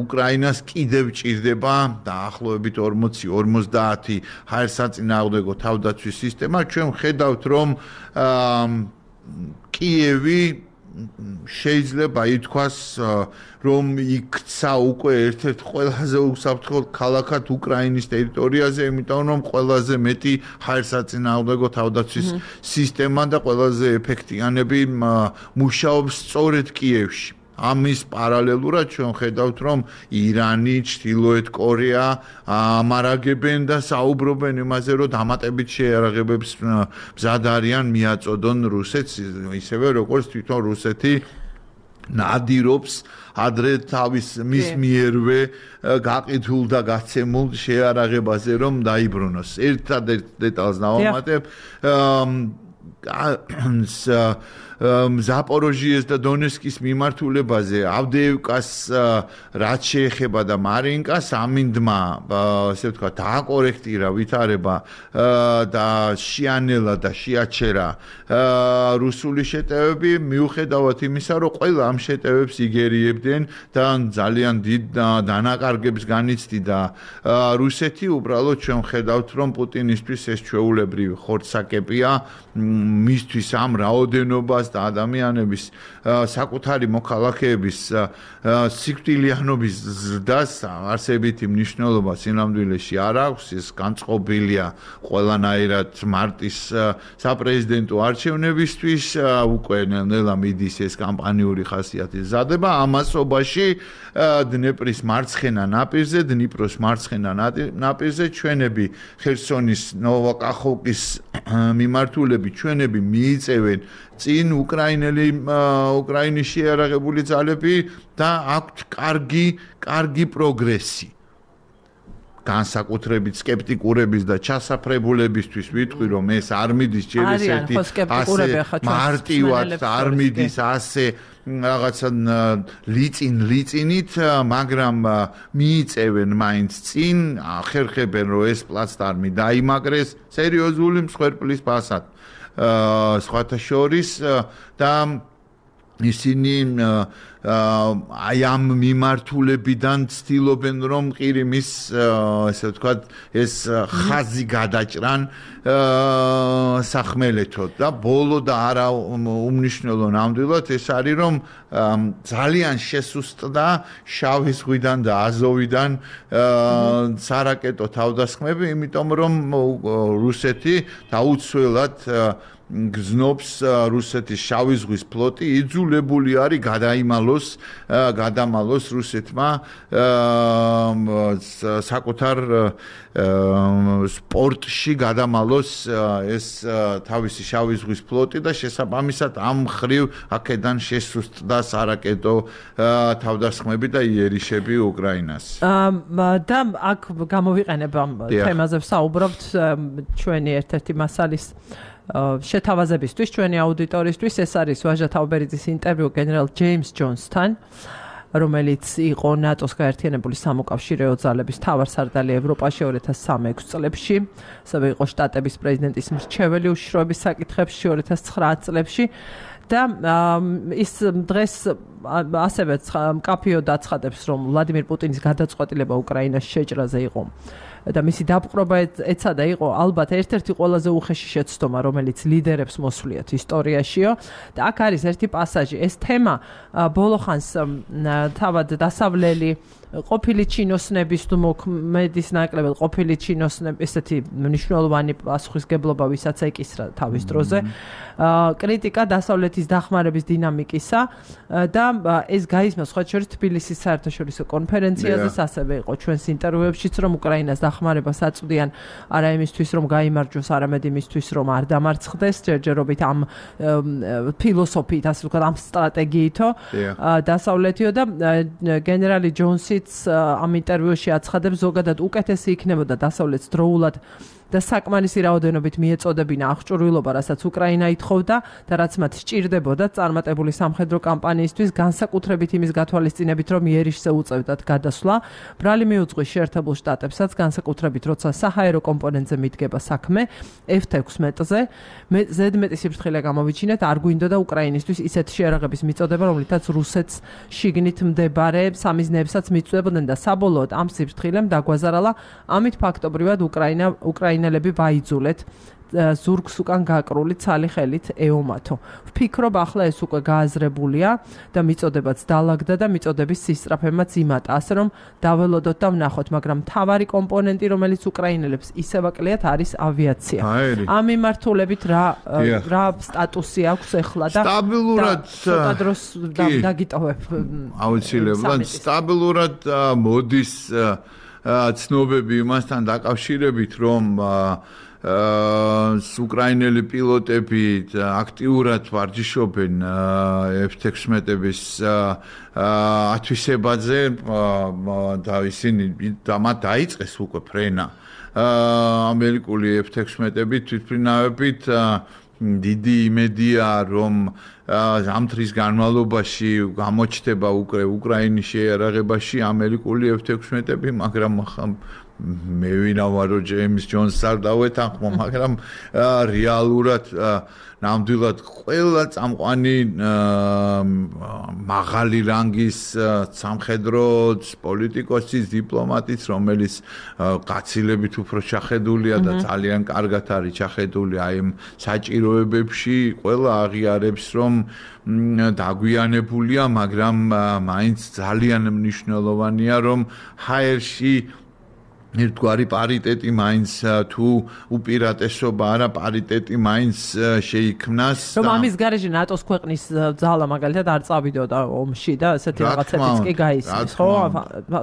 უკრაინას კიდევ ჭირდება დაახლოებით 40-50 ჰაერსაწინააღმდეგო თავდაცვის სისტემა. ჩვენ ვხედავთ რომ კიევი შეიძლება ითქვას რომ იქცა უკვე ერთ-ერთ ყველაზე უსაფრთხო ქალაქად უკრაინის ტერიტორიაზე, იმიტომ რომ ყველაზე მეტი ჰაერსაწინააღმდეგო თავდაცვის სისტემა და ყველაზე ეფექტიანები მუშაობს სწორედ კიევში. ამის პარალელურად ჩვენ ხედავთ რომ ირანი, ჩრდილოეთ კორეა ამარაგებენ და საუბრობენ იმაზე რომ დამატებით შეიარაღებებს მზად არიან მიაწოდონ რუსეთს ისევე როგორც თვითონ რუსეთი ნადირობს ადრე თავის მის მიერვე გაყიდულ და გაცემულ შეიარაღებაზე რომ დაიბრუნოს. ერთადერთ დეტალს დავამატებ ზაპოროჟიეს და დონეცკის მიმართულებაზე ავდეევკას რაც შეეხება და მარინკას ამინდმა ასე ვთქვათ დააკორექტირა ვითარება და შეანელა და შეაჩერა რუსული შეტევები მიუხედავად იმისა რომ ყველა ამ შეტევებს იგერიებდნენ და ძალიან დიდ დანაკარგებს განიცდიდა რუსეთი უბრალოდ ჩვენ ხედავთ რომ პუტინისთვის ეს ჩვეულებრივი ხორცსაკეპია მისთვის ამ რაოდენობას და ადამიანების საკუთარი მოქალაქეების სიკვდილიანობის ზრდას არსებითი მნიშვნელობა სინამდვილეში არ აქვს. ეს განწყობილია ყველანაირად მარტის საპრეზიდენტო არჩევნებისთვის, უკვე ნელ-ნელა მიდის ეს კამპანიური ხასიათის ზადება. ამასობაში დნეპრის მარცხენა ნაპირზე, დნიპროს მარცხენა ნაპირზე ჩვენები ხერსონის ნოვაკახოვკის მიმართულები ჩვენები მიიწევენ წინ უკრაინის შეიარაღებული ძალები და აქვთ კარგი პროგრესი. განსაკუთრებით სკეპტიკურების და ჩასაფრებულებისთვის ვიტყვი, რომ ეს არ მიდის ჯერ ესეთი მარტივად არ მიდის ასე რაღაცა ლიწინით, მაგრამ მიიწევენ მაინც წინ, ხერხებენ რომ ეს პლაცდარმი დაიმაგრეს სერიოზული მსხვერპლის ფასად. სხვათა შორის და ისინი აი ამ მიმართულებიდან ცდილობენ რომ ყირიმის ესე ვთქვათ ეს ხაზი გადაჭრან სახმელეთოდ და ბოლო და არა უმნიშვნელო ნამდვილად ეს არის რომ ძალიან შესუსტდა შავი ზღვიდან და აზოვიდან სარაკეტო თავდასხმები, იმიტომ რომ რუსეთი დაუცველად გზნობს რუსეთის შავი ზღვის ფლოტი იძულებული არის გადამალოს რუსეთმა საკუთარ სპორტში გადამალოს ეს თავისი შავი ზღვის ფლოტი და შესაბამისად ამ ხრივ აქედან შესუსტდა სარაკეტო თავდასხმები და იერიშები უკრაინას. და აქ გამოვიყენებ ამ თემაზე ვსაუბრობთ ჩვენი ერთ-ერთი მასალის შეთავაზებისთვის ჩვენი აუდიტორისთვის. ეს არის ვაჟა თაუბერიძის ინტერვიუ გენერალ ჯეიმს ჯონსთან, რომელიც იყო ნატოს გაერთიანებული სამოკავშირეო ძალების მთავარსარდალი ევროპაში 2003-6 წლებში, ასევე იყო შტატების პრეზიდენტის მრჩეველი უშიშროების საკითხებში 2009 წლებში და ის დღეს ასევე მკაფიოდ აცხადებს, რომ ვლადიმირ პუტინის გადაწყვეტილება უკრაინას შეჭრაზე იყო და მისი დაპყრობა ეცადა იყო ალბათ ერთ-ერთი ყველაზე უხეში შეცდომა, რომელიც ლიდერებს მოსვლიათ ისტორიაშიო. და აქ არის ერთი პასაჟი. ეს თემა ბოლოხანს თავად დასავლელი ყოფილი ჩინოსნების თუ მოქმედის ნაკლებად ყოფილი ჩინოსნების ესეთი მნიშვნელოვანი პასუხისგებლობა ვისაც ეკისრა თავის დროზე კრიტიკა დასავლეთის დახმარების დინამიკისა და ეს გაისმა სხვა შორის თბილისის საერთაშორისო კონფერენციაზეც ასევე იყო ჩვენს ინტერვიუებშიც რომ უკრაინას დახმარებას აწვდიან არა იმისთვის რომ გაიმარჯვოს, არამედ იმისთვის რომ არ დამარცხდეს ჯერჯერობით ამ ფილოსოფიით, ასე ვთქვათ, ამ სტრატეგიითო დასავლეთიო და გენერალი ჯონსიც ამ ინტერვიუში აცხადებს, ზოგადად უკეთესი იქნებოდა დასავლეთს დროულად და საკმარისი რაოდენობით მიეწოდებინა აღჭურვილობა, რასაც უკრაინა ითხოვდა და რაც მათ სჭირდებოდა წარმატებული სამხედრო კამპანიისთვის, განსაკუთრებით იმის გათვალისწინებით, რომ იერიშზე უწევდათ გადასვლა. ბრალი მიუძღვის შეერთებულ შტატებსაც, განსაკუთრებით როცა საჰაერო კომპონენტზე მიდგება საქმე F-16-ზე. ზედმეტი სიფრთხილე გამოვიჩინეთ, არ გვინდოდა უკრაინისთვის ისეთ შეიარაღების მიწოდება, რომლითაც რუსეთს შიგნით მდებარე სამიზნეებსაც მიწვდებოდნენ და საბოლოოდ ამ სიფრთხილემ დაგვაზარალა, ამით ფაქტობრივად უკრაინელები ვაიძულეთ ზურგს უკან გაკრული ცალი ხელით ეომათო. ვფიქრობ, ახლა ეს უკვე გააზრებულია და მიწოდებაც დაალაგდა და მიწოდების სისწრაფემაც იმატა, ასე რომ დაველოდოთ და ვნახოთ, მაგრამ მთავარი კომპონენტი, რომელიც უკრაინელებს ისევ აკლიათ, არის ავიაცია. ამ მიმართულებით რა სტატუსი აქვს ახლა და სტაბილურად ცოტა დროს დაგიტოვებ. აუცილებლად სტაბილურად მოდის ცნობები იმასთან დაკავშირებით, რომ უკრაინელი პილოტები აქტიურად ვარჯიშობენ F-16-ების ათვისებაზე და ისინი მათ დაიწყეს უკვე ფრენა ამერიკული F-16-ები თვითმფრინავებით. დიდი იმედია, რომ ამ დღის განმავლობაში გამოჩნდება უკრაინის შეიარაღებაში ამერიკული F-16-ები, მაგრამ მე ვინაურო ჯეიმს ჯონსს არ დავეთანხმო, მაგრამ რეალურად ნამდვილად ყველა წამყვანი მაღალი რანგის სამხედრო პოლიტიკოსის, დიპლომატის, რომელიც გაცილებით უფრო ჩახედულია და ძალიან კარგად არის ჩახედული აი ამ საჭიროებებში, ყველა აღიარებს, რომ დაგვიანებულია, მაგრამ მაინც ძალიან მნიშვნელოვანია, რომ ჰაერში ერთგვარი პარიტეტი მაინც თუ უპირატესობა არა პარიტეტი მაინც შეიქმნას რომ ამის გარეშე ნატოს ქვეყნის ძალა მაგალითად არ წავიდოდა ომში და ესეთი რაღაცებიც კი გაისმის ხო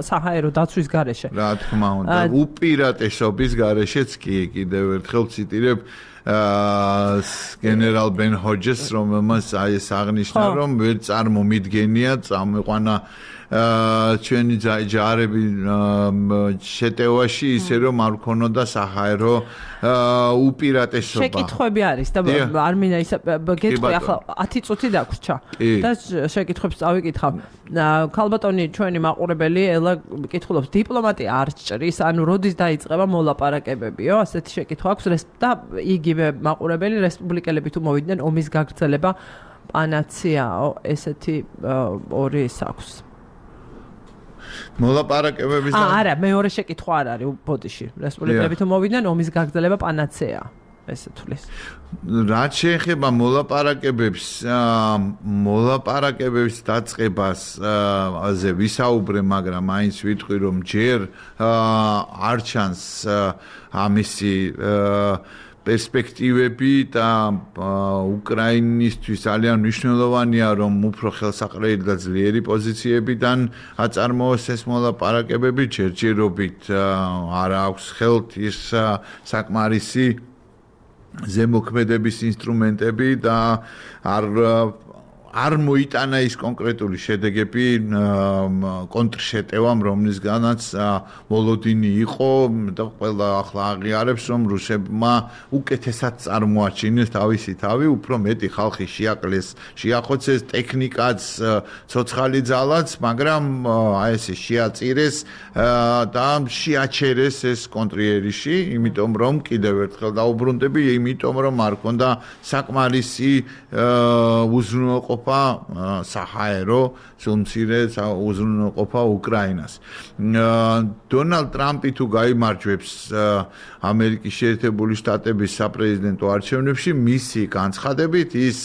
საჰაერო დაცვის გარეშე რა თქმა უნდა უპირატესობის გარეშეც კი კიდევ ერთხელ ციტირებ გენერალ ბენ ჰოჯეს რომელმაც აი ეს აღნიშნა რომ ვერ წარმომიდგენია წამეყვანა ჩვენი ჯარები შეტევაში ისე რომ არ ქონოდა საჰაერო უპირატესობა. შეკითხვები არის და არ მინდა ისე გეტყვი ახლა 10 წუთი დაგვრჩა და შეკითხვებს წავიკითხავ. ქალბატონი ჩვენი მაყურებელი ელა კითხულობს დიპლომატია არ ჭრის ანუ როდის დაიწყება მოლაპარაკებებიო ასეთი შეკითხვა აქვს და იგივე მაყურებელი რესპუბლიკელები თუ მოვიდნენ ომის გაგრძელება პანაციაო ესეთი ორი ის აქვს. მოლაპარაკებების არა მეორე შეკითხვა არ არის ბოდიში რესპუბლიკელები თუ მოვიდნენ ომის გაგრძელება პანაცეა ესე თulis რაც შეეხება მოლაპარაკებების დაწყებას აზე ვისაუბრე მაგრამ მაინც ვიტყვი რომ ჯერ არ ჩანს ამისი პერსპექტივები და უკრაინისთვის ძალიან მნიშვნელოვანია რომ უფრო ხელსაყრელი და ძლიერი პოზიციებიდან აწარმოოს ეს მოლაპარაკებები ჯერჯერობით არ აქვს ხელთ ის საკმარისი ზემოქმედების ინსტრუმენტები და არ მოიტანა ის კონკრეტული შედეგები კონტრშეტევამ რომლისგანაც მოლოდინი იყო და ყველა ახლა აღიარებს რომ რუსებმა უკეთესად წარმოაჩინეს თავისი თავი უფრო მეტი ხალხი შეაკლეს შეახოცეს ტექნიკაც ცოცხალი ძალაც მაგრამ აი ესე შეაწირეს და შეაჩერეს ეს კონტრიერიში იმიტომ რომ კიდევ ერთხელ დაუბრუნდები იმიტომ რომ არ ქონდა საკმარისი უზრუნველყოფა საჰაერო სულმცირე უზრუნველყოფა უკრაინას. დონალდ ტრამპი თუ გაიმარჯვებს ამერიკის შეერთებული შტატების საპრეზიდენტო არჩევნებში მისი განცხადებით ის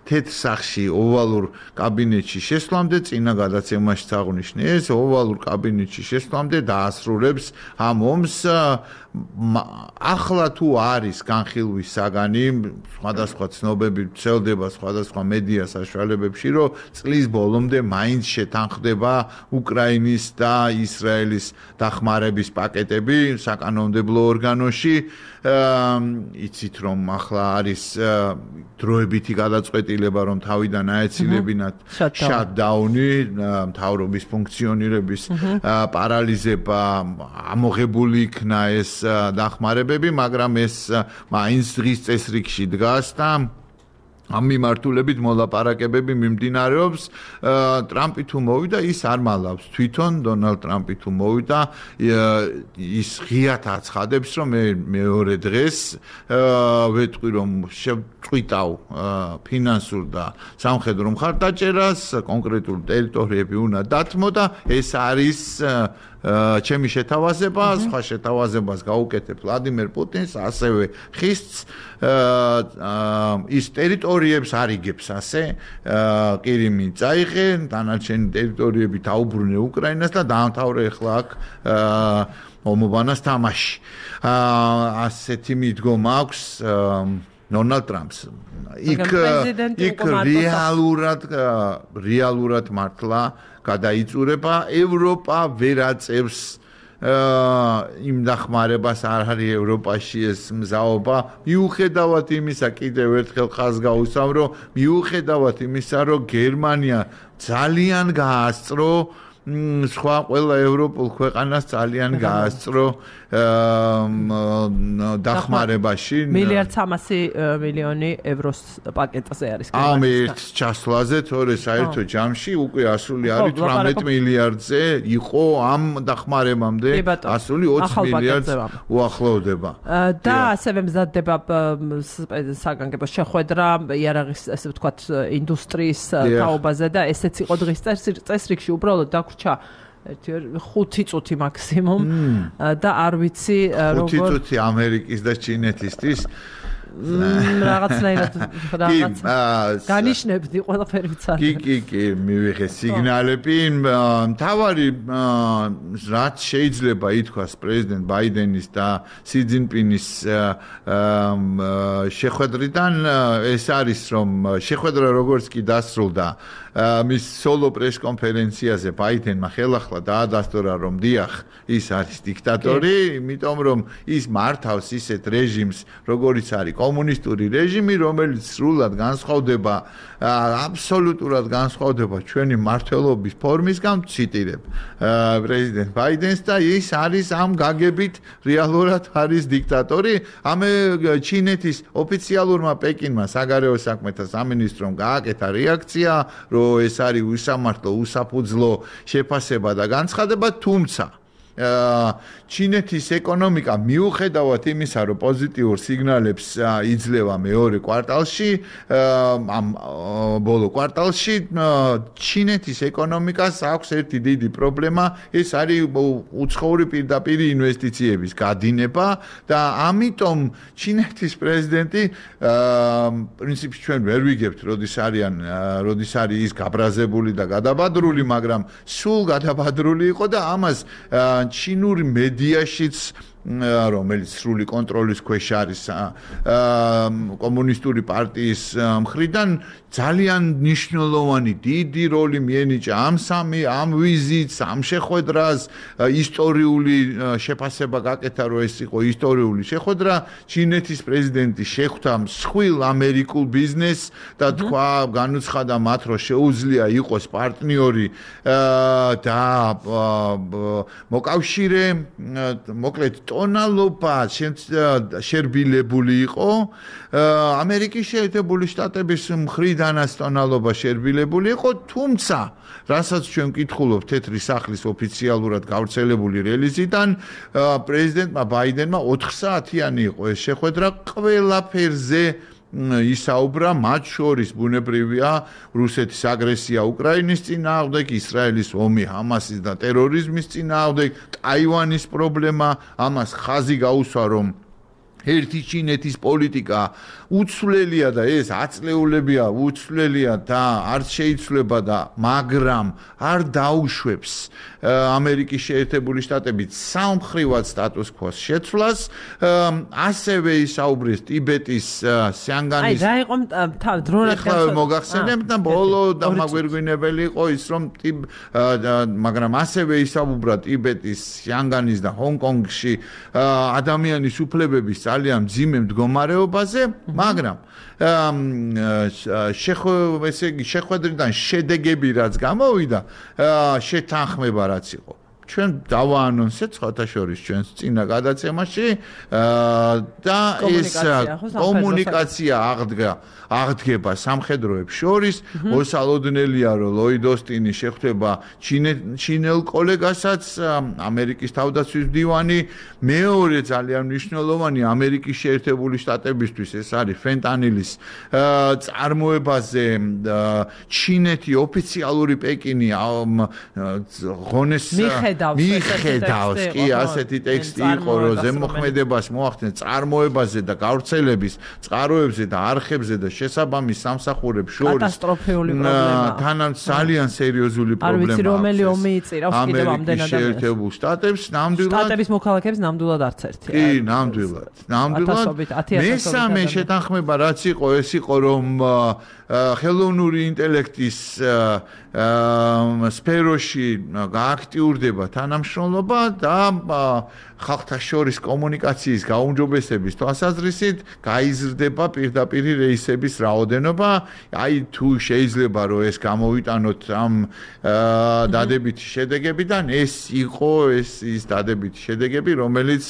თეთრ სახლში ოვალურ კაბინეტში შესვლამდე წინა გადაცემაში აღნიშნა ეს ოვალურ კაბინეტში შესვლამდე დაასრულებს ამ ომს ახლა თუ არის განხილვის საგანი სხვადასხვა ცნობები ვრცელდება სხვადასხვა მედია საშუალებებში რომ წლის ბოლომდე მაინც შეთანხმდება უკრაინის და ისრაელის დახმარების პაკეტები საკანონმდებლო ორგანოში იცით რომ ახლა არის დროებითი გადაწყვეტილება რომ თავიდან აეცილებინათ შატდაუნი მთავრობის ფუნქციონირების პარალიზება ამოღებული იქნა ეს დახმარებები მაგრამ ეს მაინც დღის წესრიგში დგას და ამ მიმართულებით მოლაპარაკებები მიმდინარეობს ტრამპი თუ მოვიდა ის არ მალავს თვითონ დონალდ ტრამპი თუ მოვიდა ის ღიათ აცხადებს რომ მე მეორე დღეს ვეტყვი რომ შევწყვიტავ ფინანსურ და სამხედრო მხარდაჭერას კონკრეტულ ტერიტორიები უნდა დათმო და ეს არის ჩემი შეთავაზება, სხვა შეთავაზებას გაუკეთებ ვლადიმერ პუტინს, ასევე ხისს ის ტერიტორიებს არიგებს ასე, ყირიმი წაიღე, დანარჩენი ტერიტორიები დაუბრუნე უკრაინას და დაამთავრე ახლა აქ ომობანას თამაში. ასეთი მიდგომა აქვს დონალდ ტრამპს. იქ რეალურად მართლა გადაიწურება ევროპა ვერ აწევს იმ დახმარებას არ არის ევროპაში ეს მზაობა მიუხედავად იმისა კიდევ ერთხელ ხაზს გავუსვამ რომ მიუხედავად იმისა რომ გერმანია ძალიან გაასწრო სხვა ყველა ევროპულ ქვეყანას ძალიან გაასწრო დახმარებაში. 1,300,000,000 ევროს პაკეტზე არის. ამ ერთ ჩასვლაზე თორე საერთო ჯამში უკვე ასული არის 18 მილიარდზე იყო ამ დახმარებამდე ასული 20 მილიარდს უახლოვდება. და ასევე მზადდება საგანგებო შეხვედრა იარაღის ესე ვთქვათ ინდუსტრიის თაობაზე და ესეც იყო დღის წესრიგში უბრალოდ დაგვრჩა 5 წუთი მაქსიმუმ და არ ვიცი როგორ 5 წუთი ამერიკის და ჩინეთისთვის რაღაცნაირად განიშნებდი ყველაფერი ვიცარი. კი, მივიღე სიგნალები. მთავარი რაც შეიძლება ითქვას პრეზიდენტ ბაიდენის და სი ძინპინის შეხვედრიდან ეს არის რომ შეხვედრა როგორც კი დასრულდა მის სოლო პრეს კონფერენციაზე ბაიდენმა ხელახლა დაადასტურა რომ დიახ ის არის დიქტატორი, იმიტომ რომ ის მართავს ისეთ რეჟიმს როგორიც არის კომუნისტური რეჟიმი, რომელიც სრულად განსხვავდება აბსოლუტურად განსხვავდება ჩვენი მართლობის ფორმისგან, ციტირებ პრეზიდენტ ბაიდენს და ის არის ამ გაგებით რეალურად არის დიქტატორი. ჩინეთის ოფიციალურმა პეკინმა საგარეო საქმეთა სამინისტრომ გააკეთა რეაქცია, რომ ეს არის უსამართლო, უსაფუძვლო შეფასება და განცხადება, თუმცა ჩინეთის ეკონომიკა მიუხედავად იმისა, რომ პოზიტიურ სიგნალებს იძლევა მეორე კვარტალში, ამ ბოლო კვარტალში ჩინეთის ეკონომიკას აქვს ერთი დიდი პრობლემა, ეს არის უცხოური პირდაპირ ინვესტიციების გადინება და ამიტომ ჩინეთის პრეზიდენტი პრინციპში ჩვენ ვერ ვიგებთ, როდის არის ის გაბრაზებული და გადაბადრული, მაგრამ სულ გადაბადრული იყო და ამას ჩინური მედიაშიც რომელიც სრული კონტროლის ქვეშ არის კომუნისტური პარტიის მხრიდან ძალიან მნიშვნელოვანი დიდი როლი მიენიჭა ამ ვიზიტს, ამ შეხვედრას, ისტორიული შეფასება გაკეთა, რომ ეს იყო ისტორიული შეხვედრა. ჩინეთის პრეზიდენტი შეხვდა მსხვილ ამერიკულ ბიზნესს და თქვა, განუცხადა მათ, რომ შეუძლია იყოს პარტნიორი და მოკავშირე, მოკლედ ტონალობა შერბილებული იყო. ამერიკის შეერთებული შტატების მხრიდანაც ტონალობა შერბილებული იყო, თუმცა რასაც ჩვენ ვკითხულობთ თეთრი სახლის ოფიციალურად გავრცელებული რელიზიდან, პრეზიდენტმა ბაიდენმა 4 საათიანი იყო ეს შეხვედრა, ყველაფერზე ისაუბრა, მათ შორის ბუნებრივია რუსეთის აგრესია უკრაინის წინააღმდეგ, ისრაელის ომი ჰამასის და ტერორიზმის წინააღმდეგ, ტაივანის პრობლემა, ამას ხაზი გაუსვა, რომ ერთი ჩინეთის პოლიტიკა უცვლელია და ეს აწლეულებია უცვლელია და არც შეიცვლება და მაგრამ არ დაუშვებს ამერიკის შეერთებული შტატებით სამმხრივად სტატუს კვოს შეცვლას. ასევე ისაუბრეს ტიბეტის სიანგანის რა იყო დრონად მოგახსენებთ და ბოლო დამაგვირგვინებელი იყო ის რომ მაგრამ ასევე ისაუბრა ტიბეტის სიანგანის და ჰონკონგში ადამიანის უფლებების ძალიან მძიმე მდგომარეობაზე, მაგრამ შეხვედრიდან შედეგები რაც გამოვიდა, შეთანხმება რაც იყო. ჩვენ დავაანონსეთ ხათაშორის ჩვენს წინა გადაცემაში და ეს კომუნიკაცია აღდგება სამხედროებს შორის. მოსალოდნელია, რომ ლოიდ ოსტინი შეხვდება ჩინელ კოლეგასაც, ამერიკის თავდაცვის მდივანი. მეორე ძალიან მნიშვნელოვანი ამერიკის შეერთებული შტატებისთვის ეს არის ფენტანილის წარმოებაზე ჩინეთი ოფიციალური პეკინი ღონეს მიხედავს კი ასეთი ტექსტი იყო, რომ ზემოქმედებას მოახდენს წარმოებაზე და გავრცელების წყაროებზე და არხებზე და შესაბამის სამსახურებს შორის კატასტროფული პრობლემა. თანაც ძალიან სერიოზული პრობლემა. არ ვიცი რომელი ომი იწირავს კიდევ ამდენად ადამიანს. შეერთებულ შტატებს ნამდვილად შტატების მოქალაქეებს ნამდვილად არც ერთი. კი, ნამდვილად. მესამე შეთანხმება რაც იყო, ეს იყო რომ ხელოვნური ინტელექტის სფეროში გააქტიურდება იზრდება თანამშრომლობა და ხალხთა შორის კომუნიკაციის გაუმჯობესების თვალსაზრისით გაიზრდება პირდაპირი რეისების რაოდენობა. აი თუ შეიძლება რომ ეს გამოვიტანოთ ამ დადებითი შედეგებიდან, ეს იყო ის დადებითი შედეგები, რომელიც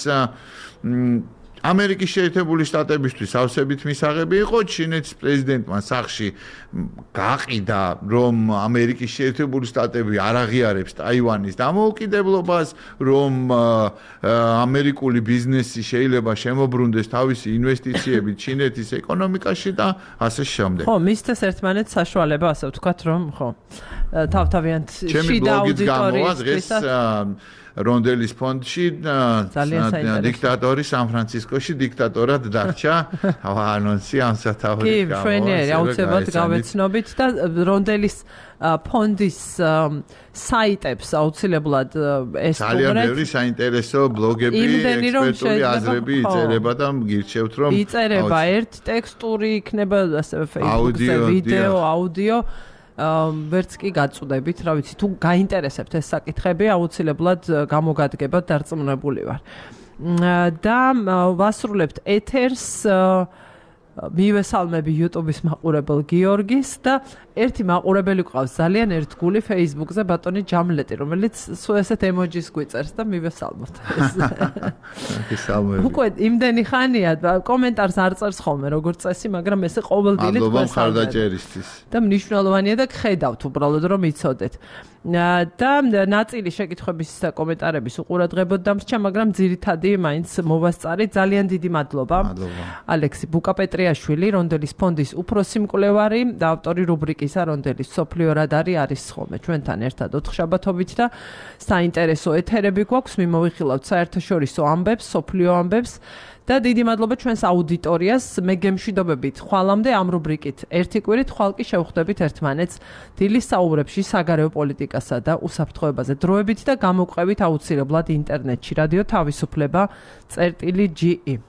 ამერიკის შეერთებული შტატებისთვის ავსებით მისაღები იყო. ჩინეთის პრეზიდენტმა სახში გაყიდა, რომ ამერიკის შეერთებული შტატები არ აღიარებს ტაივანის დამოუკიდებლობას, რომ ამერიკული ბიზნესი შეიძლება შემოbrunდეს თავისი ინვესტიციებით ჩინეთის ეკონომიკაში და ასე შემდეგ. ხო, მისცეს ერთმანეთს საშუალება, ასე ვთქვათ, რომ ხო, თავთავიანთ შიდა აუდიტორიის რონდელის ფონდში დიქტატორი სან-ფრანცისკოში დიქტატორად დარჩა. ანონსი ამ სათავეში კი, შვენიერი აუცილებლად გავეცნობით და რონდელის ფონდის საიტებს აუცილებლად ეს ძალიან ბევრი საინტერესო ბლოგები, ექსპერტული აზრები იწერება და გირჩევთ რომ იწერება ერთ ტექსტური იქნება ასევე Facebook-ზე ვიდეო, აუდიო ვერც კი გაწუდებით, რა ვიცი, თუ გაინტერესებთ ეს საკითხები, აუცილებლად გამოგადგებათ, დარწმუნებული ვარ. და ვასრულებთ ეთერს მივესალმები YouTube-ის მაყურებელ გიორგის და ერთი მაყურებელი ყავს ძალიან ერთგული Facebook-ზე ბატონი ჯამლეტი, რომელიც სულ ესეთ ემოჯის გვიწერს და მივესალმოთ. მივესალმები. უკვე იმდენი ხანია კომენტარს არ წერს ხოლმე როგორც წესი, მაგრამ ესე ყოველდღიურად მადლობა მხარდაჭერისთვის. და მნიშვნელოვანია და გხედავთ უბრალოდ რომ იცოდეთ. და ნაწილი შეკითხვების და კომენტარების უყურადღებოდ დამრჩა, მაგრამ ძირითადი მაინც მოვასწარი. ძალიან დიდი მადლობა. ალექსი ბუკაპეტრიაშვილი, რონდელის ფონდის უფროსი მკვლევარი და ავტორი რუბრიკისა რონდელის სოფლიო რადარი არის ხოლმე ჩვენთან ერთად ოთხშაბათობით და საინტერესო ეთერები გვაქვს. მიმოვიხილავთ საერთაშორისო ამბებს, სოფლიო ამბებს. და დიდი მადლობა ჩვენს აუდიტორიას. მე გემშვიდობებით ხვალამდე ამ რუბრიკით ერთი კვირით ხვალ კი შევხვდებით ერთმანეთს დილის საუბრებში საგარეო პოლიტიკასა და უსაფრთხოებაზე დროებით და გამოგვყევით აუცილებლად ინტერნეტში რადიო თავისუფლება.ge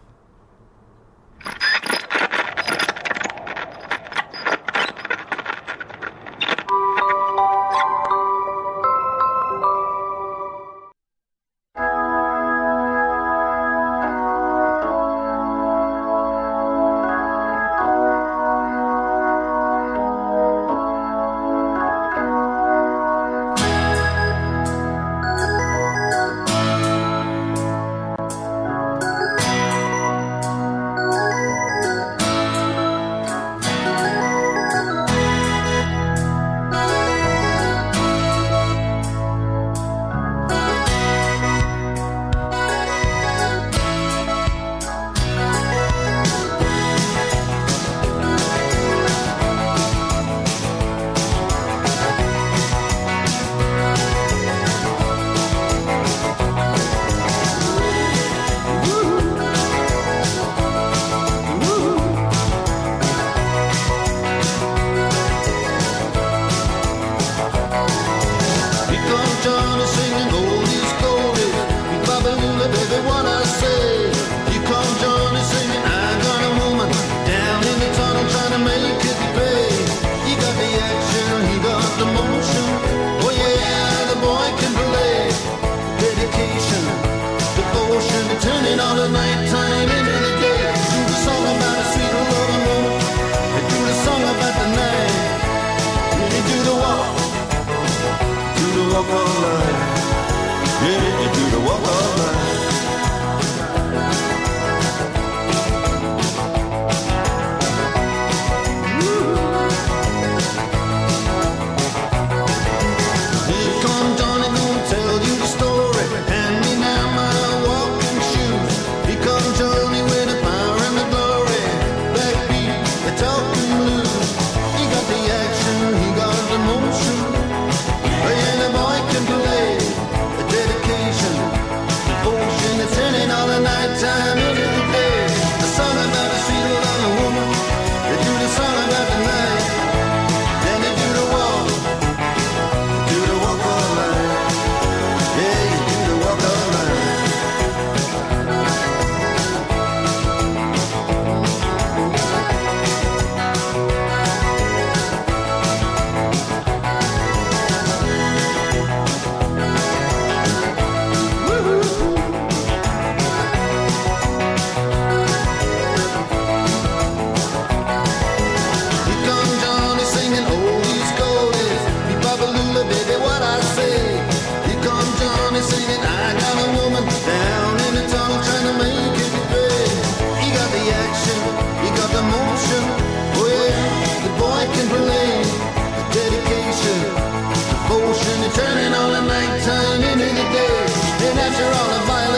all the violence